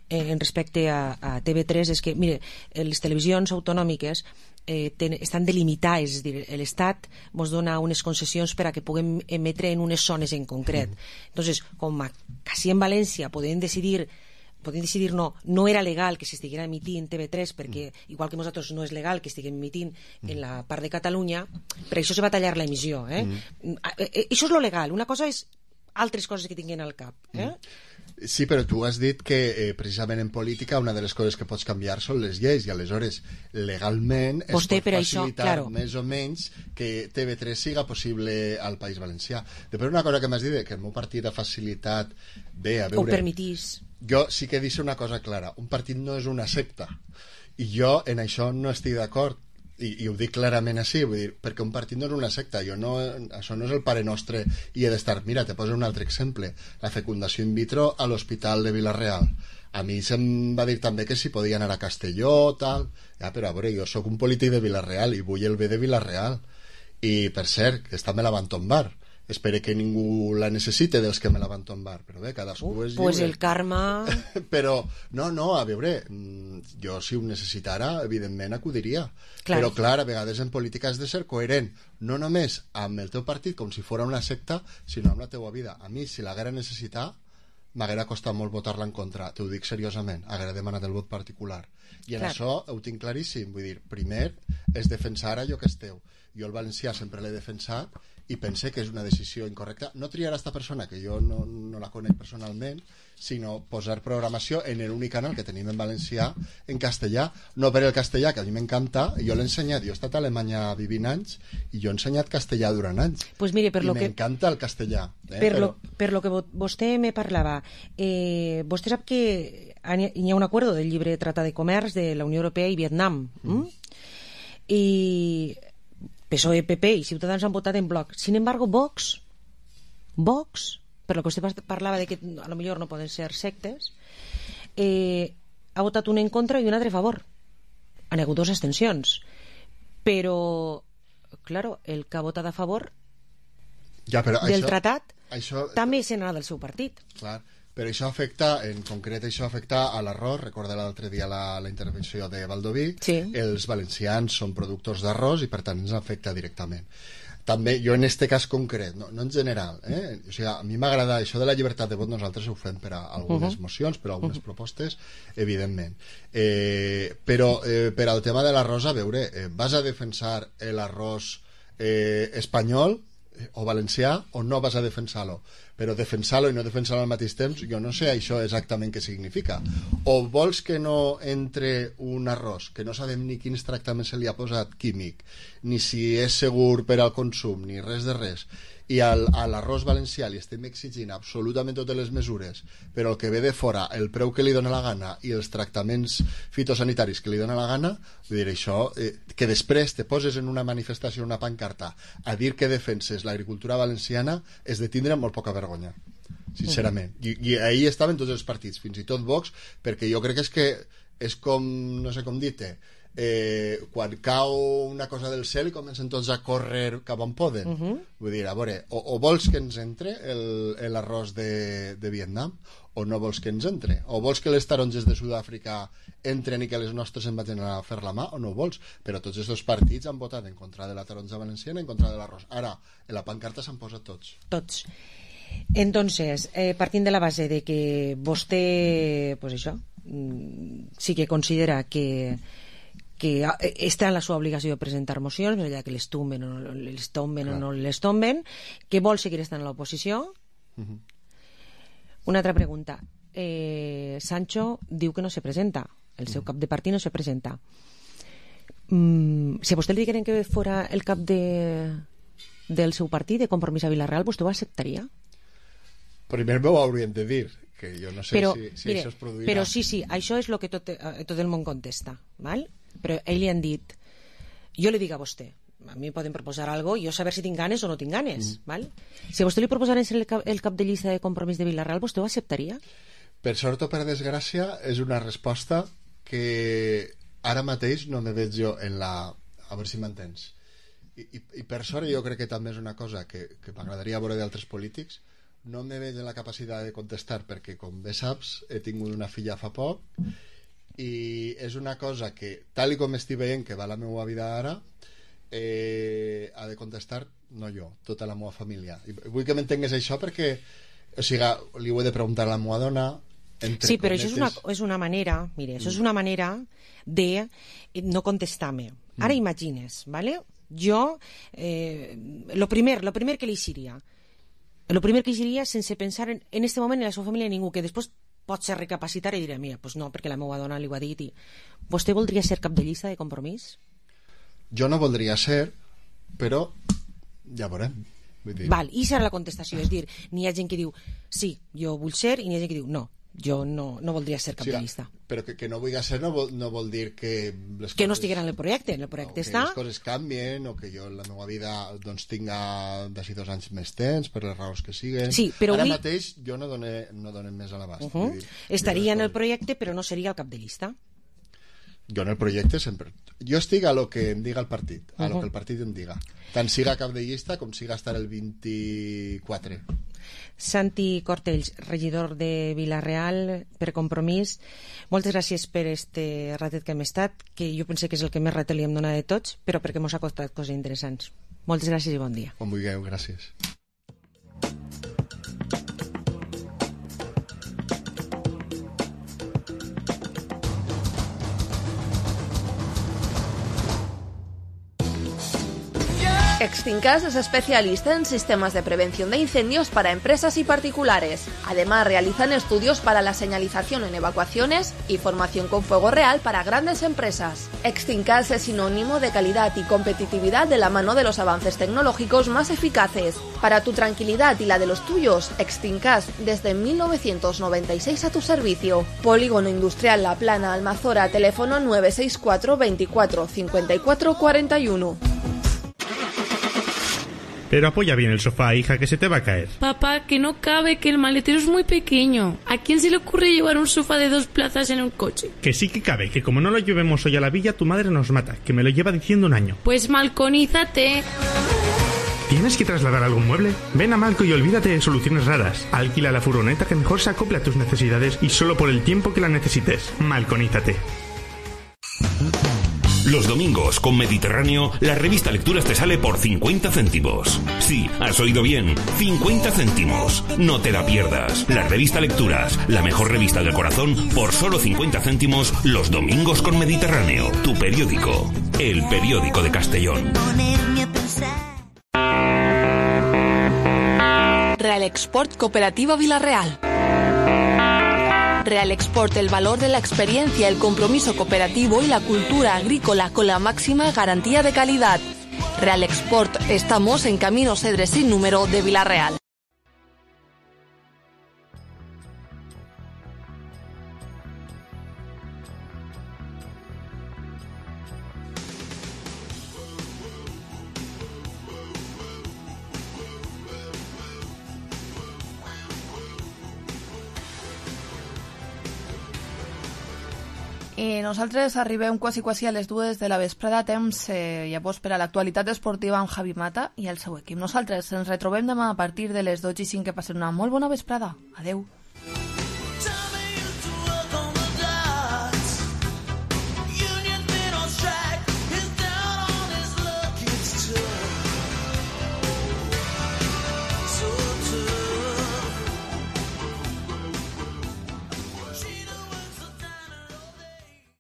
eh, en respecte a, a T V tres, és que, mire, les televisions autonòmiques eh, ten, estan delimitades, és dir, l'Estat ens dona unes concessions per a que puguem emetre en unes zones en concret. Mm. Entonces, com a, quasi en València podem decidir podem decidir no, no era legal que s'estiguera emitint T V tres, perquè mm. igual que nosaltres no és legal que estiguem emitint mm. en la part de Catalunya, per això se va tallar l'emissió, eh? Mm. Això és lo legal, una cosa és altres coses que tinguin al cap, eh? Mm. Sí, però tu has dit que eh, precisament en política una de les coses que pots canviar són les lleis, i aleshores legalment es Vostè, pot facilitar això, claro. més o menys que T V tres siga possible al País Valencià. Després una cosa que m'has dit, que el meu partit ha facilitat bé, a veure... Ho permetís. Jo sí que he dit una cosa clara, un partit no és una secta, i jo en això no estic d'acord, i, i ho dic clarament així, vull dir, perquè un partit no és una secta, jo no, això no és el Pare Nostre i he d'estar... Mira, te poso un altre exemple, la fecundació in vitro a l'Hospital de Vila-real. A mi se'm va dir també que si podia anar a Castelló, tal... Ja, però a veure, jo sóc un polític de Vila-real i vull el bé de Vila-real. I, per cert, que esta me la van tombar. Espero que ningú la necessite dels que me la van tombar, però bé, cadascú uh, és lliure. Pues el karma... Però, no, no, a veure, jo si ho necessitara, evidentment acudiria. Clar. Però clar, a vegades en política has de ser coherent, no només amb el teu partit com si fos una secta, sinó amb la teua vida. A mi, si l'haguera necessitat, m'haguera costat molt votar-la en contra, t'ho dic seriosament, haguera demanat el vot particular. I en clar. Això ho tinc claríssim, vull dir, primer és defensar allò que és teu. Jo el valencià sempre l'he defensat i pense que és una decisió incorrecta. No triar a esta persona, que jo no, no la conec personalment, sinó posar programació en l'únic canal que tenim en valencià en castellà, no per el castellà, que a mi m'encanta, jo l'he ensenyat, jo he estat a Alemanya vivint anys i jo he ensenyat castellà durant anys. Pues mire, per I lo m'encanta que... el castellà. Eh? Per, Però... lo, per lo que vostè me parlava, eh, vostè sap que hi ha un acord del llibre Tractat de Comerç de la Unió Europea i Vietnam, mm. i P S O E, P P i Ciutadans han votat en bloc. Sin embargo, Vox, Vox, per lo que vostè parlava de que a lo millor no poden ser sectes, eh, ha votat un en contra i un altre a favor. Han hagut dues abstencions. Però, claro, el que ha votat a favor ja, però del això, tractat això... també se n'ha del seu partit. Clar, però això afecta, en concret això afecta a l'arròs. Recorda l'altre dia la, la intervenció de Baldoví, sí. Els valencians són productors d'arròs i per tant ens afecta directament. També, jo en este cas concret, no, no en general, eh? O sigui, a mi m'agrada això de la llibertat de vot, nosaltres ho fem per a algunes uh-huh. mocions, per a algunes uh-huh. propostes, evidentment. Eh, però eh, per al tema de l'arròs, a veure, eh, vas a defensar l'arròs eh, espanyol o valencià o no vas a defensar-lo? però defensar-lo i no defensar-lo al mateix temps, jo no sé això exactament què significa. O vols que no entre un arròs, que no sabem ni quins tractaments se li ha posat químic, ni si és segur per al consum, ni res de res, i al, a l'arròs valencià li estem exigint absolutament totes les mesures, però el que ve de fora, el preu que li dona la gana i els tractaments fitosanitaris que li dona la gana, vull dir, això, eh, que després te poses en una manifestació, una pancarta, a dir que defenses l'agricultura valenciana, és de tindre molt poca vergonya, sincerament. I, i ahí estaven tots els partits, fins i tot Vox, perquè jo crec que és que és com, no sé com dir-te, Eh, quan cau una cosa del cel i comencen tots a córrer cap on poden. Uh -huh. Vull dir, a veure, o, o vols que ens entre l'arròs de, de Vietnam o no vols que ens entre, o vols que les taronges de Sud-àfrica entren i que les nostres en vagin a fer la mà, o no vols, però tots aquests partits han votat en contra de la taronja valenciana, en contra de l'arròs. Ara, en la pancarta s'han posat tots. Tots. Entonces, eh, partint de la base de que vostè, pues això, sí que considera que que està en la seva obligació de presentar mocions, més allà que les tomben o les tomben o no les tomben, que vol seguir estant en l'oposició. Uh-huh. Una altra pregunta. Eh, Sancho diu que no se presenta, el seu uh-huh. cap de partit no se presenta. Mm, si a vostè li digueren que fora el cap de, del seu partit, de Compromís a Vila-real, vostè ho acceptaria? Primer m'ho haurien de dir, que jo no sé però, si, si mire, això es produirà. Però sí, sí, això és el que tot, tot el món contesta, val? Però ell li han dit, jo li dic a vostè, a mi poden proposar alguna cosa, jo saber si tinc ganes o no tinc ganes, mm. val? Si a vostè li proposaren ser el cap, el cap de llista de Compromís de Vila-real, vostè ho acceptaria? Per sort o per desgràcia és una resposta que ara mateix no me veig jo en la... a veure si m'entens. I, i, i per sort jo crec que també és una cosa que, que m'agradaria veure d'altres polítics, no me veig en la capacitat de contestar perquè, com bé saps, he tingut una filla fa poc i és una cosa que, tal i com estic veient que va la meva vida ara, eh, ha de contestar no jo, tota la meva família. I vull que m'entengues això perquè, o sigui, li ho he de preguntar a la meva dona. Sí, però això és una, és una manera, mire, això és una manera de no contestar-me. Ara mm. imagines, ¿vale? Jo, eh, lo primer, lo primer que li diria, lo primer que diria sense pensar en, en este moment en la seva família ningú, que després pot ser recapacitar i diré, mira, pues no, perquè la meva dona li ho ha dit. I... Vostè voldria ser cap de llista de Compromís? Jo no voldria ser, però ja veurem. Vull dir... Val, i serà la contestació, és dir, n'hi ha gent que diu sí, jo vull ser, i n'hi ha gent que diu no, jo no, no voldria ser cap sí, de llista. Però que, que no vull ser no vol, no vol dir que... Les que coses, no estiguera en el projecte, en el projecte no, està... que les coses canvien, o que jo en la meva vida doncs, tinga d'ací dos anys més temps, per les raons que siguen. Sí, però ara avui... mateix jo no doné, no doné més a l'abast. Uh -huh. Estaria en el projecte, però no seria el cap de llista. Jo en el projecte sempre... Jo estic a lo que em diga el partit, a uh -huh. lo que el partit em diga. Tant siga cap de llista com siga estar el vint-i-quatre. Santi Cortells, regidor de Vila-real per Compromís, moltes gràcies per este ratet que hem estat, que jo pense que és el que més ratet li hem donat de tots, però perquè mos ha costat coses interessants. Moltes gràcies i bon dia. Quan vulgueu, gràcies. Extincas es especialista en sistemas de prevención de incendios para empresas y particulares. Además, realizan estudios para la señalización en evacuaciones y formación con fuego real para grandes empresas. Extincas es sinónimo de calidad y competitividad de la mano de los avances tecnológicos más eficaces. Para tu tranquilidad y la de los tuyos, Extincas desde mil novecientos noventa y seis a tu servicio. Polígono Industrial La Plana, Almazora, teléfono nueve seis cuatro veinticuatro cincuenta y cuatro cuarenta y uno. Pero apoya bien el sofá, hija, que se te va a caer. Papá, que no cabe, que el maletero es muy pequeño. ¿A quién se le ocurre llevar un sofá de dos plazas en un coche? Que sí que cabe, que como no lo llevemos hoy a la villa, tu madre nos mata, que me lo lleva diciendo un año. Pues malconízate. ¿Tienes que trasladar algún mueble? Ven a Malco y olvídate de soluciones raras. Alquila la furgoneta que mejor se acopla a tus necesidades y solo por el tiempo que la necesites. Malconízate. Los domingos con Mediterráneo, la revista Lecturas te sale por cincuenta céntimos. Sí, has oído bien, cincuenta céntimos. No te la pierdas. La revista Lecturas, la mejor revista del corazón, por solo cincuenta céntimos los domingos con Mediterráneo. Tu periódico, el periódico de Castellón. Real Export Cooperativa Vila-real. Real Export, el valor de la experiencia, el compromiso cooperativo y la cultura agrícola con la máxima garantía de calidad. Real Export, estamos en Camino Cedres sin número de Vila-real. I nosaltres arribem quasi quasi a les dues de la vesprada, temps eh, llavors per a l'actualitat esportiva amb Javi Mata i el seu equip. Nosaltres ens retrobem demà a partir de les dotze i cinc, que passen una molt bona vesprada. Adeu.